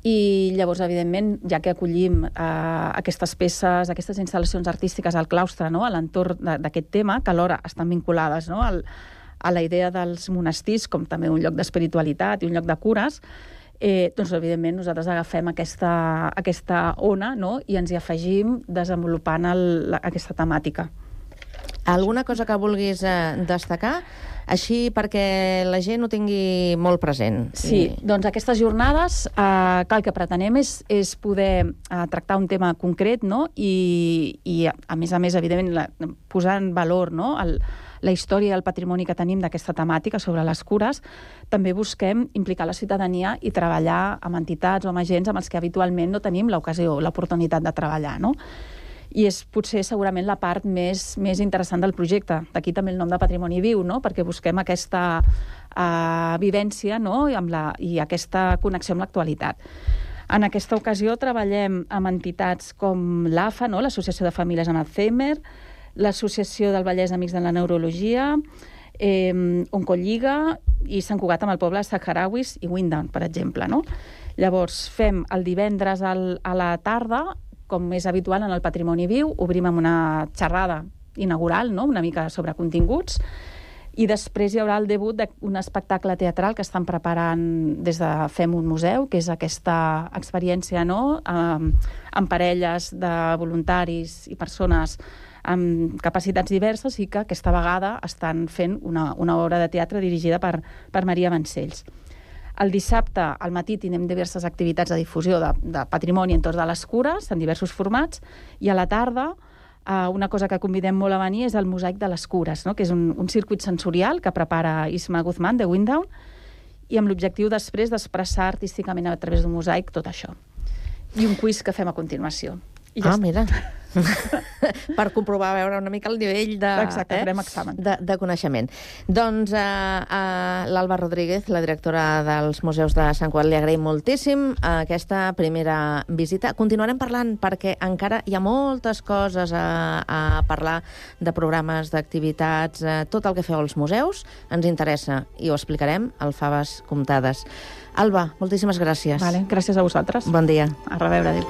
I llavors, evidentment, ja que acollim aquestes peces, aquestes instal·lacions artístiques al claustre, a l'entorn d'aquest tema, que alhora estan vinculades a la idea dels monestirs, com també un lloc d'espiritualitat i un lloc de cures, doncs, evidentment, nosaltres agafem aquesta ona i ens hi afegim desenvolupant aquesta temàtica. Alguna cosa que vulguis destacar, així perquè la gent ho tingui molt present? Sí, doncs aquestes jornades, el que pretenem és poder tractar un tema concret, i a més, evidentment, posar en valor la història i el patrimoni que tenim d'aquesta temàtica sobre les cures, també busquem implicar la ciutadania i treballar amb entitats o amb agents amb els que habitualment no tenim l'ocasió, l'oportunitat de treballar, no? I és potser segurament la part més interessant del projecte. D'aquí també el nom de Patrimoni Viu, no? Perquè busquem aquesta vivència, no? I aquesta connexió amb l'actualitat. En aquesta ocasió treballem amb entitats com l'AFA, no? l'Associació de Famílies amb Alzheimer, l'Associació del Vallès Amics de la Neurologia, Oncolliga i Sant Cugat amb el poble Saharauis i Windown, per exemple, no? Llavors, fem el divendres a la tarda, com és habitual en el Patrimoni Viu, obrim amb una xerrada inaugural, no? Una mica sobre continguts, i després hi haurà el debut d'un espectacle teatral que estan preparant des de Fem un museu, que és aquesta experiència, no? Amb parelles de voluntaris i persones amb capacitats diverses i que aquesta vegada estan fent una obra de teatre dirigida per Maria Vancells. El dissabte al matí tindrem diverses activitats de difusió de patrimoni en tots de les cures, en diversos formats, i a la tarda una cosa que convidem molt a venir és el mosaic de les cures, no? Que és un circuit sensorial que prepara Isma Guzmán de Windown i amb l'objectiu després d'expressar artísticament a través d'un mosaic tot això. I un quiz que fem a continuació. Mira. Per comprovar, veure una mica el nivell de coneixement. Doncs l'Alba Rodríguez, la directora dels Museus de Sant Cugat, li agraïm moltíssim aquesta primera visita. Continuarem parlant perquè encara hi ha moltes coses a parlar de programes, d'activitats, tot el que feu als museus ens interessa i ho explicarem al Faves Comptades. Alba, moltíssimes gràcies. Vale, gràcies a vosaltres. Bon dia. A reveure, adéu.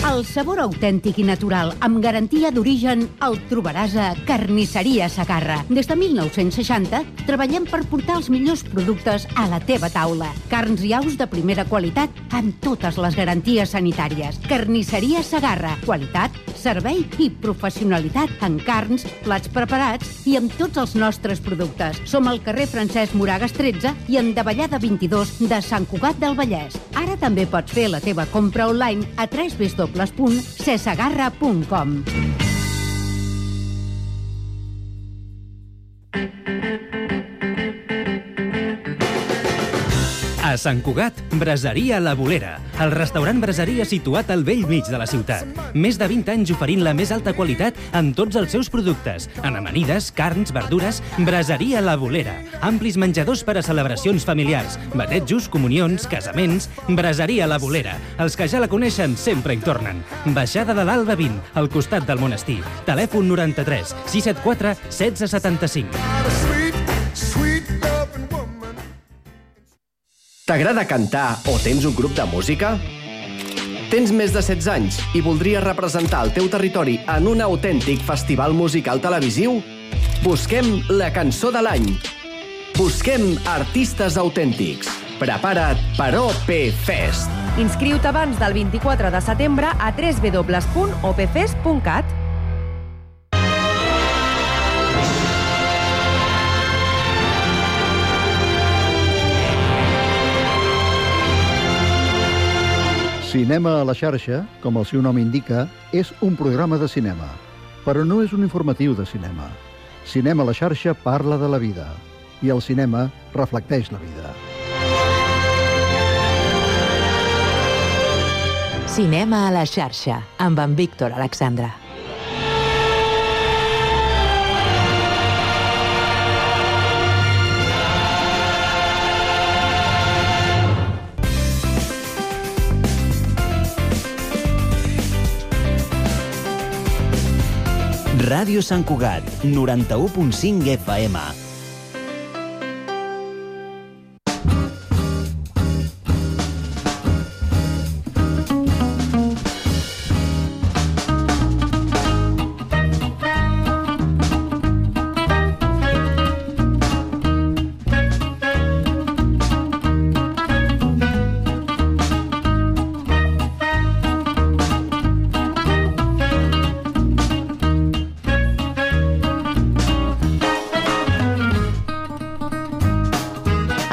El sabor autèntic i natural, amb garantia d'origen, el trobaràs a Carnisseria Segarra. Des de 1960 treballem per portar els millors productes a la teva taula. Carns i aus de primera qualitat amb totes les garanties sanitàries. Carnisseria Segarra. Qualitat, servei i professionalitat en carns, plats preparats i amb tots els nostres productes. Som al carrer Francesc Moragas 13 i en Davallada 22 de Sant Cugat del Vallès. Ara també pots fer la teva compra online a www.cesegarra.com. A Sant Cugat, Braseria La Bolera, el restaurant braseria situat al vell mig de la ciutat. Més de 20 anys oferint la més alta qualitat en tots els seus productes. En amanides, carns, verdures, Braseria La Bolera. Amplis menjadors per a celebracions familiars, batejos, comunions, casaments, Braseria La Bolera. Els que ja la coneixen sempre hi tornen. Baixada de l'Alba 20, al costat del monestir. Telèfon 93 674 1675. T'agrada cantar o tens un grup de música? Tens més de 16 anys i voldries representar el teu territori en un autèntic festival musical televisiu? Busquem la cançó de l'any. Busquem artistes autèntics. Prepara't per OP Fest. Inscriu-te abans del 24 de setembre a www.opfest.cat. Cinema a la xarxa, com el seu nom indica, és un programa de cinema, però no és un informatiu de cinema. Cinema a la xarxa parla de la vida, i el cinema reflecteix la vida. Cinema a la xarxa, amb en Víctor Alexandra. Ràdio Sant Cugat, 91.5 FM.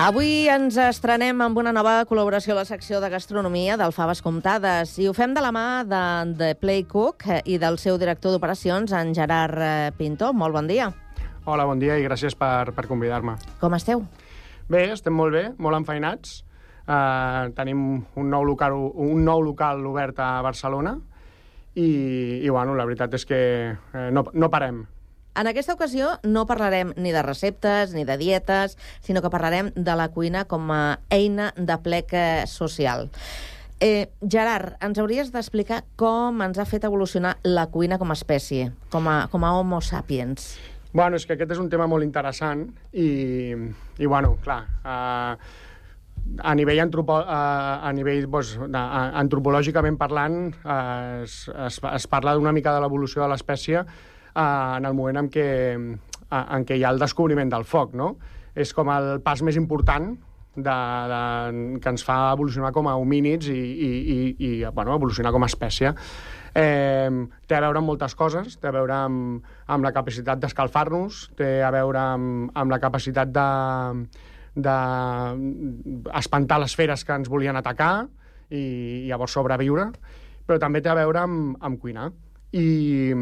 Avui ens estrenem amb una nova col·laboració a la secció de gastronomia del Faves Comptades i ho fem de la mà de The Play Cook i del seu director d'operacions, en Gerard Pinto. Molt bon dia. Hola, bon dia i gràcies per convidar-me. Com esteu? Bé, estem molt bé, molt enfeinats. Tenim un nou local obert a Barcelona i bueno, la veritat és que no parem. En aquesta ocasió no parlarem ni de receptes ni de dietes, sinó que parlarem de la cuina com a eina de plec social. Gerard, ens hauries d'explicar com ens ha fet evolucionar la cuina com a espècie, com a Homo sapiens. Bueno, és que aquest és un tema molt interessant i bueno, clar, a nivell antropològicament parlant, es parla d'una mica de l'evolució de l'espècie en el moment en què hi ha el descobriment del foc, no? És com el pas més important que ens fa evolucionar com a homínids i evolucionar com a espècie. Té a veure amb moltes coses, té a veure amb la capacitat d'escalfar-nos, té a veure amb la capacitat d'espantar les feres que ens volien atacar i llavors sobreviure, però també té a veure amb cuinar. I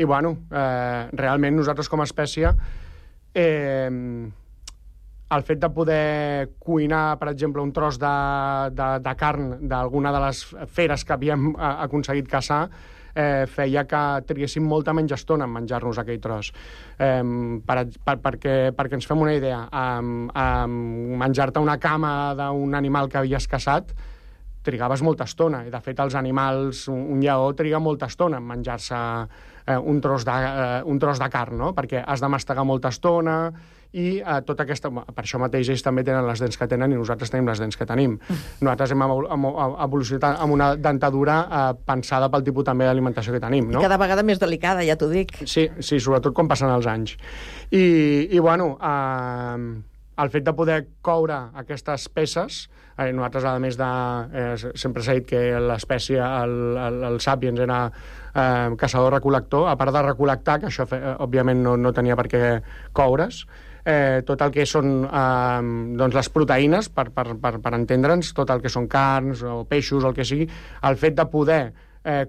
bueno, realment nosaltres com a espècie el fet de poder cuinar, per exemple, un tros de carn d'alguna de les feres que havíem aconseguit caçar feia que triéssim molta menys estona en menjar-nos aquell tros. Perquè ens fem una idea, menjar-te una cama d'un animal que havies caçat trigaves molta estona, i de fet els animals, un lleó triga molta estona en menjar-se un tros de carn, no? Perquè has de mastegar molta estona i tota aquesta... Per això mateix ells també tenen les dents que tenen i nosaltres tenim les dents que tenim. Nosaltres hem evolucionat amb una dentadura pensada pel tipus també d'alimentació que tenim, no? I cada vegada més delicada, ja t'ho dic. Sí, sobretot quan passen els anys. I bueno, el fet de poder coure aquestes peces, nosaltres, a més de... sempre s'ha dit que l'espècie, el sapiens, era caçador-recol·lector, a part de recol·lectar, que això, òbviament, no tenia per què coure's, tot el que són les proteïnes, per entendre'ns, tot el que són carns o peixos o el que sigui, el fet de poder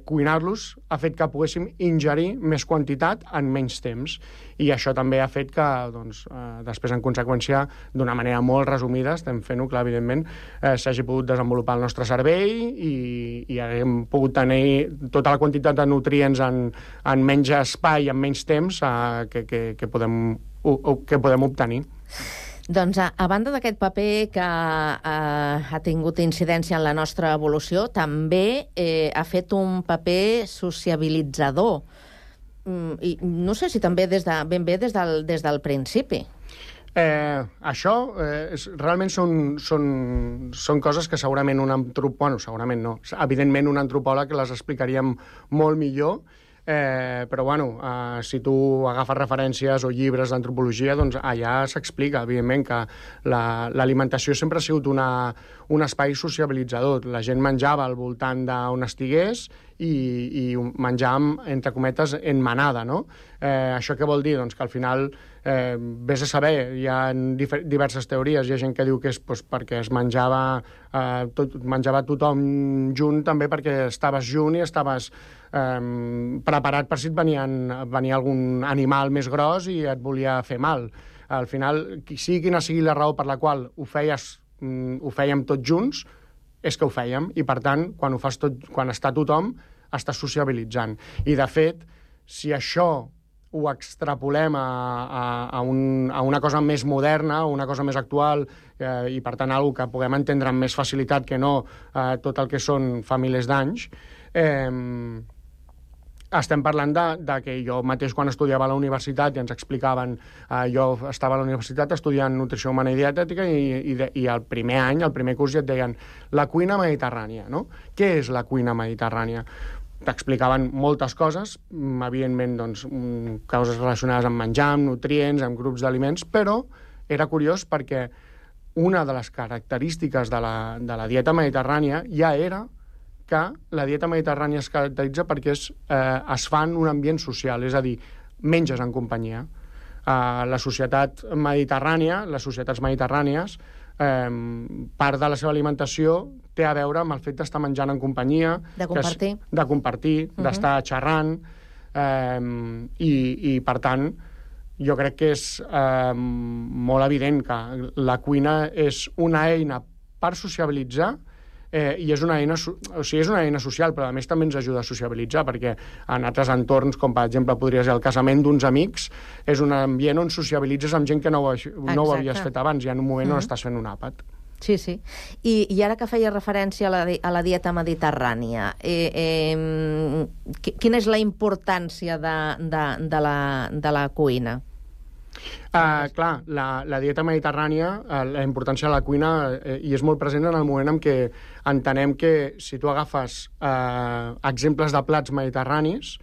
cuinar-los ha fet que poguéssim ingerir més quantitat en menys temps. I això també ha fet que, després, en conseqüència, d'una manera molt resumida, estem fent-ho, clar, evidentment, s'hagi pogut desenvolupar el nostre cervell i hem pogut tenir tota la quantitat de nutrients en menys espai, en menys temps, que podem obtenir. Doncs, a banda d'aquest paper que ha tingut incidència en la nostra evolució, també ha fet un paper sociabilitzador. I no sé si també ben bé des del principi. Això realment són coses que segurament segurament no. Evidentment un antropòleg les explicaria molt millor, però bueno, si tu agafes referències o llibres d'antropologia, doncs allà s'explica, evidentment, que l'alimentació sempre ha sigut un espai sociabilitzador. La gent menjava al voltant d'on estigués i menjàvem, entre cometes, en manada, no? Això què vol dir? Doncs que al final, vés a saber, hi ha diverses teories. Hi ha gent que diu que és perquè es menjava tothom junt, també perquè estaves junt i estaves preparat per si et venia algun animal més gros i et volia fer mal. Al final, quina sigui la raó per la qual ho fèiem tots junts, és que ho fèiem, i per tant, quan està tothom, estàs sociabilitzant. I de fet, si això ho extrapolem a una cosa més moderna, una cosa més actual, i per tant alguna que puguem entendre amb més facilitat que no tot el que són fa milers d'anys, estem parlant de que jo mateix quan estudiava a la universitat i ens explicaven, jo estava a la universitat estudiant nutrició humana i dietètica i el primer any, el primer curs ja et deien la cuina mediterrània, no? Què és la cuina mediterrània? T'explicaven moltes coses, evidentment coses relacionades amb menjar, amb nutrients, amb grups d'aliments, però era curiós perquè una de les característiques de la dieta mediterrània ja era que la dieta mediterrània es caracteritza perquè es fa en un ambient social, és a dir, menges en companyia. La societat mediterrània, les societats mediterrànies, part de la seva alimentació té a veure amb el fet d'estar menjant en companyia, de compartir, d'estar xerrant, i per tant jo crec que és molt evident que la cuina és una eina per sociabilitzar, i és una eina social, però a més també ens ajuda a sociabilitzar, perquè en altres entorns, com per exemple podria ser el casament d'uns amics, és un ambient on sociabilitzes amb gent que no ho havies fet abans, i en un moment on estàs fent un àpat. Sí, sí. I ara que feia referència a la dieta mediterrània, quina és la importància de la cuina? Clar, la dieta mediterrània, la importància de la cuina hi és molt present en el moment en què entenem que si tu agafes exemples de plats mediterranis,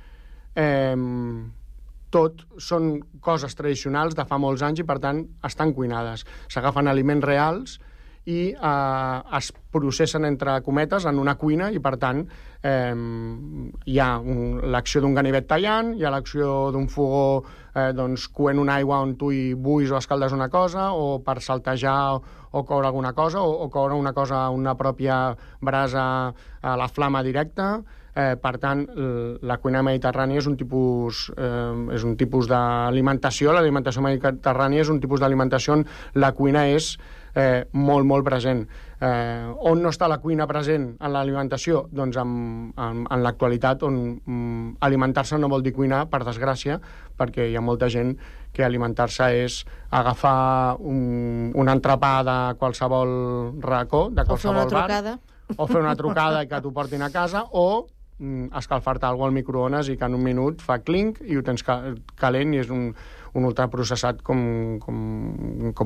tot són coses tradicionals de fa molts anys i per tant estan cuinades. S'agafen aliments reals i es processen entre cometes en una cuina i per tant hi ha l'acció d'un ganivet tallant, hi ha l'acció d'un fogó coent una aigua on tu hi buis o escaldes una cosa, o per saltejar o coure alguna cosa, o coure una cosa a una pròpia brasa a la flama directa. Per tant, la cuina mediterrània és un tipus d'alimentació. L'alimentació mediterrània és un tipus d'alimentació on la cuina és molt, molt present. On no està la cuina present en l'alimentació? Doncs en l'actualitat, on alimentar-se no vol dir cuinar, per desgràcia, perquè hi ha molta gent que alimentar-se és agafar un entrepà de qualsevol racó, de qualsevol bar, o fer una trucada i que t'ho portin a casa, o escalfar-te alguna cosa al microones i que en un minut fa clinc i ho tens calent i és un ultraprocessat com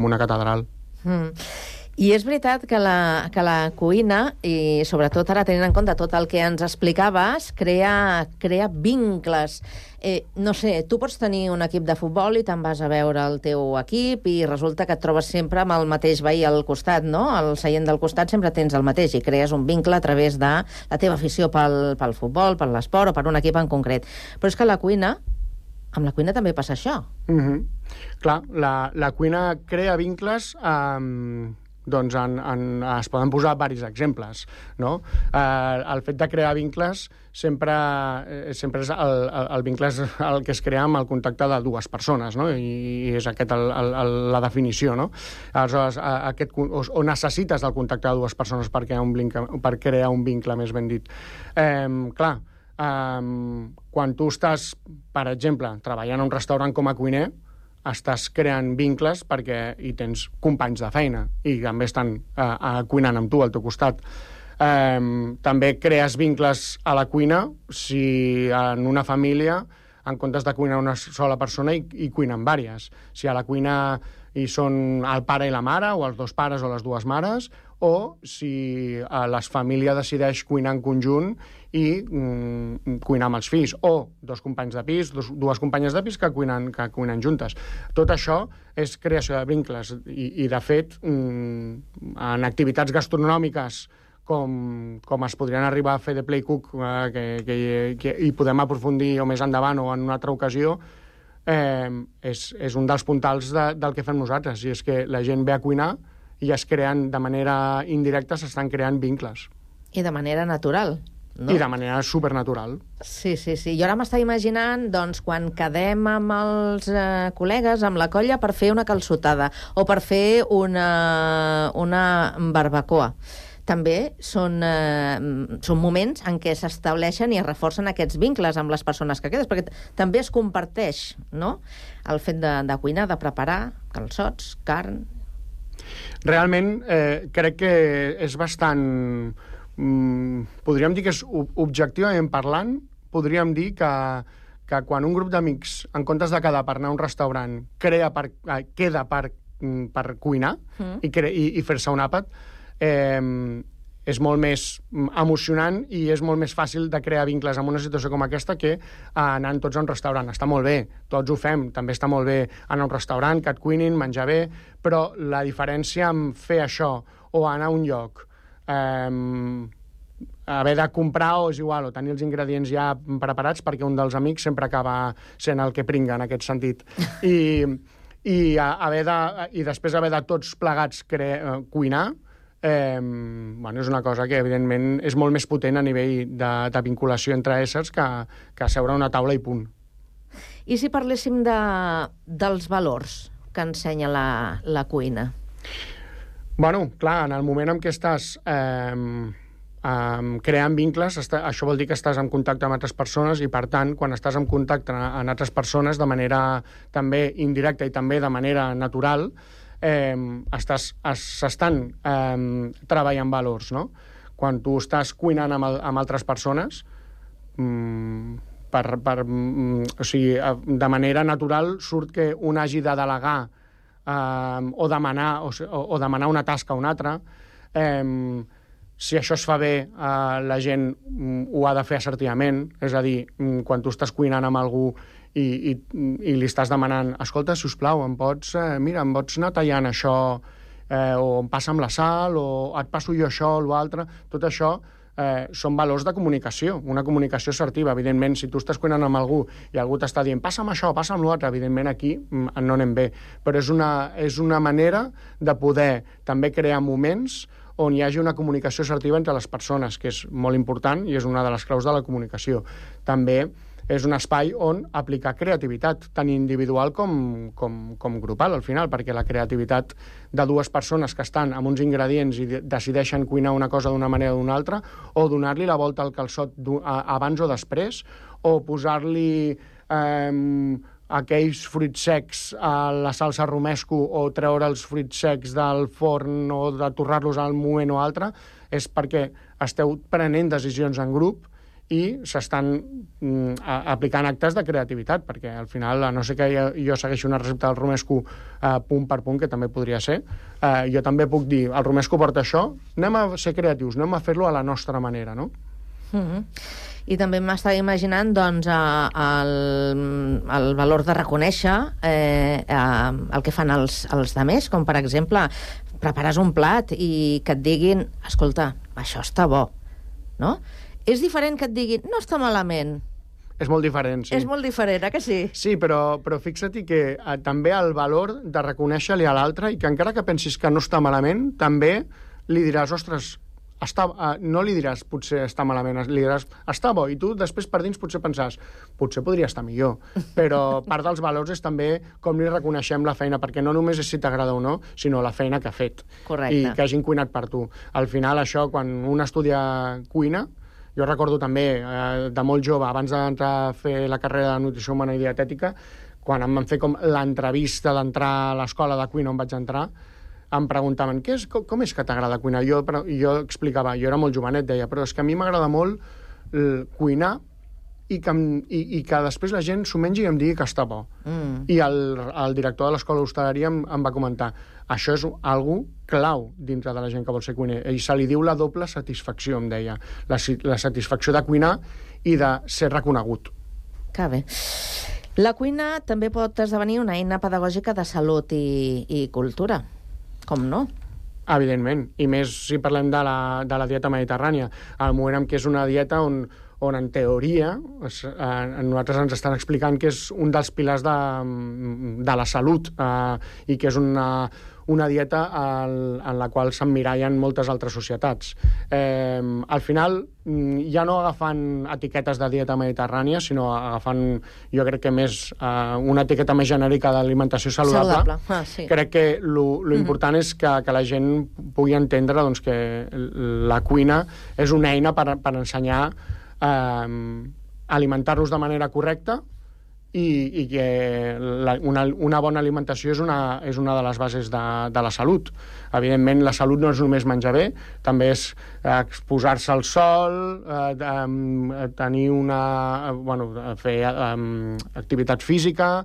una catedral. I és veritat que la cuina, i sobretot ara tenint en compte tot el que ens explicaves, crea vincles. No sé, tu pots tenir un equip de futbol i te'n vas a veure el teu equip i resulta que et trobes sempre amb el mateix veí al costat, no? Al seient del costat sempre tens el mateix i crees un vincle a través de la teva afició pel futbol, per l'esport o per un equip en concret. Però és que amb la cuina també passa això. Clar, la cuina crea vincles, doncs es poden posar diversos exemples, no? El fet de crear vincles sempre és el vincle és el que es crea amb el contacte de dues persones, no? I és aquesta la definició, no? Aleshores, o necessites el contacte de dues persones per crear un vincle, més ben dit. Clar, quan tu estàs, per exemple, treballant a un restaurant com a cuiner, estàs creant vincles perquè hi tens companys de feina i també estan cuinant amb tu al teu costat. També crees vincles a la cuina si en una família, en comptes de cuinar una sola persona, hi cuinen diverses. Si a la cuina hi són el pare i la mare, o els dos pares o les dues mares, o si la família decideix cuinar en conjunt i cuinar amb els fills, o dos companys de pis, dues companyes de pis que cuinen juntes. Tot això és creació de vincles i de fet, en activitats gastronòmiques com es podrien arribar a fer de play cook, que hi podem aprofundir o més endavant o en una altra ocasió, és un dels puntals del que fem nosaltres, i és que la gent ve a cuinar i es creen, de manera indirecta, s'estan creant vincles. I de manera natural, no? I de manera supernatural. Sí. Jo ara m'estava imaginant, doncs, quan quedem amb els col·legues, amb la colla, per fer una calçotada o per fer una barbacoa. També són moments en què s'estableixen i es reforcen aquests vincles amb les persones que quedes, perquè també es comparteix, no?, el fet de cuinar, de preparar calçots, carn. Realment, crec que és bastant... podríem dir que és objectivament parlant, podríem dir que quan un grup d'amics, en comptes de quedar per anar a un restaurant, queda per cuinar i fer-se un àpat, és molt més emocionant i és molt més fàcil de crear vincles en una situació com aquesta que anant tots a un restaurant. Està molt bé, tots ho fem, també està molt bé anar a un restaurant, que et cuinin, menjar bé, però la diferència en fer això o anar a un lloc, haver de comprar o és igual, o tenir els ingredients ja preparats, perquè un dels amics sempre acaba sent el que pringa en aquest sentit. i després haver de tots plegats cuinar, és una cosa que, evidentment, és molt més potent a nivell de vinculació entre éssers que seure a una taula i punt. I si parléssim dels valors que ensenya la cuina? Bueno, clar, en el moment en què estàs creant vincles, això vol dir que estàs en contacte amb altres persones i, per tant, quan estàs en contacte amb altres persones de manera també indirecta i també de manera natural, s'estan treballant valors, no? Quan tu estàs cuinant amb altres persones, de manera natural surt que un hagi de delegar o demanar una tasca a un altre. Si això es fa bé, la gent ho ha de fer assertivament, és a dir, quan tu estàs cuinant amb algú i li estàs demanant, escolta, sisplau, em pots anar tallant això, o em passa amb la sal, o et passo jo això o l'altre, tot això són valors de comunicació, una comunicació assertiva. Evidentment, si tu estàs cuinant amb algú i algú t'està dient passa'm això, passa'm l'altre, evidentment aquí no anem bé, però és una manera de poder també crear moments on hi hagi una comunicació assertiva entre les persones, que és molt important i és una de les claus de la comunicació. També és un espai on aplicar creativitat, tant individual com grupal, al final, perquè la creativitat de dues persones que estan amb uns ingredients i decideixen cuinar una cosa d'una manera o d'una altra, o donar-li la volta al calçot abans o després, o posar-li aquells fruits secs a la salsa romesco o treure els fruits secs del forn o de torrar-los al moment o altre, és perquè esteu prenent decisions en grup i s'estan aplicant actes de creativitat, perquè al final, a no ser que jo segueixi una recepta del romesco punt per punt, que també podria ser, jo també puc dir, el romesco porta això, anem a ser creatius, anem a fer-lo a la nostra manera, no? I també m'estava imaginant doncs, el valor de reconèixer el que fan els demés, com per exemple prepares un plat i que et diguin escolta, això està bo, no? És diferent que et diguin no està malament. És molt diferent, sí. És molt diferent, que sí? Sí, però fixa't que també el valor de reconèixer-li a l'altre i que encara que pensis que no està malament, també li diràs, ostres, no li diràs potser està malament, li diràs està bo, i tu després per dins potser pensàs potser podria estar millor, però part dels valors és també com li reconeixem la feina, perquè no només és si t'agrada o no, sinó la feina que ha fet. Correcte. I que hagin cuinat per tu. Al final això, quan un estudia cuina, jo recordo també de molt jove, abans d'entrar a fer la carrera de nutrició humana i dietètica, quan em van fer com l'entrevista d'entrar a l'escola de cuina on vaig entrar, em preguntaven, com és que t'agrada cuinar? Jo explicava, jo era molt jovenet, deia, però és que a mi m'agrada molt cuinar i que després la gent s'ho mengi i em digui que està bo. I el director de l'escola d'hostaleria em va comentar, això és algo clau dintre de la gent que vol ser cuiner, i se li diu la doble satisfacció, em deia, la satisfacció de cuinar i de ser reconegut. Que bé. La cuina també pot esdevenir una eina pedagògica de salut i cultura. Com no? Evidentment, i més si parlem de la dieta mediterrània. Al moment en què és una dieta on en teoria nosaltres ens estan explicant que és un dels pilars de la salut i que és una dieta en la qual s'emmirallen moltes altres societats. Al final, ja no agafant etiquetes de dieta mediterrània, sinó agafant, jo crec que més una etiqueta més genèrica d'alimentació saludable. Sí. Crec que l'important és que la gent pugui entendre doncs, que la cuina és una eina per ensenyar a alimentar-nos de manera correcta i que una bona alimentació és una de les bases de la salut. Evidentment, la salut no és només menjar bé, també és exposar-se al sol, tenir fer activitat física,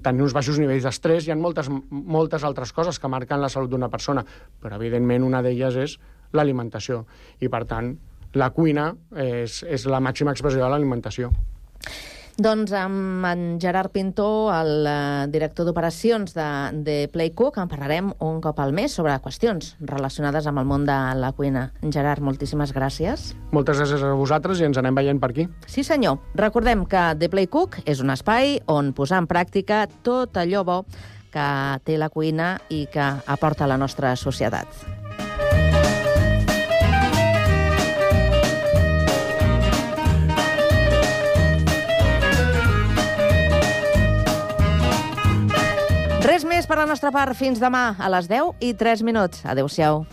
tenir uns baixos nivells d'estrès. Hi ha moltes altres coses que marquen la salut d'una persona, però evidentment una d'elles és l'alimentació, i per tant la cuina és la màxima expressió de l'alimentació. Doncs amb en Gerard Pintó, el director d'operacions de Playcook, en parlarem un cop al mes sobre qüestions relacionades amb el món de la cuina. Gerard, moltíssimes gràcies. Moltes gràcies a vosaltres i ens anem veient per aquí. Sí, senyor. Recordem que The Playcook és un espai on posar en pràctica tot allò bo que té la cuina i que aporta a la nostra societat. Res més per la nostra part. Fins demà a les 10:03. Adéu-siau.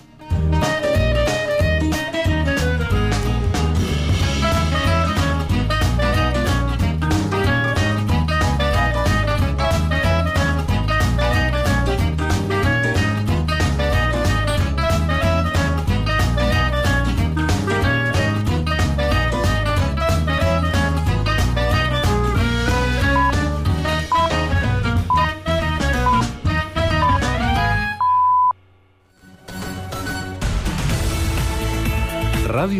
Ràdio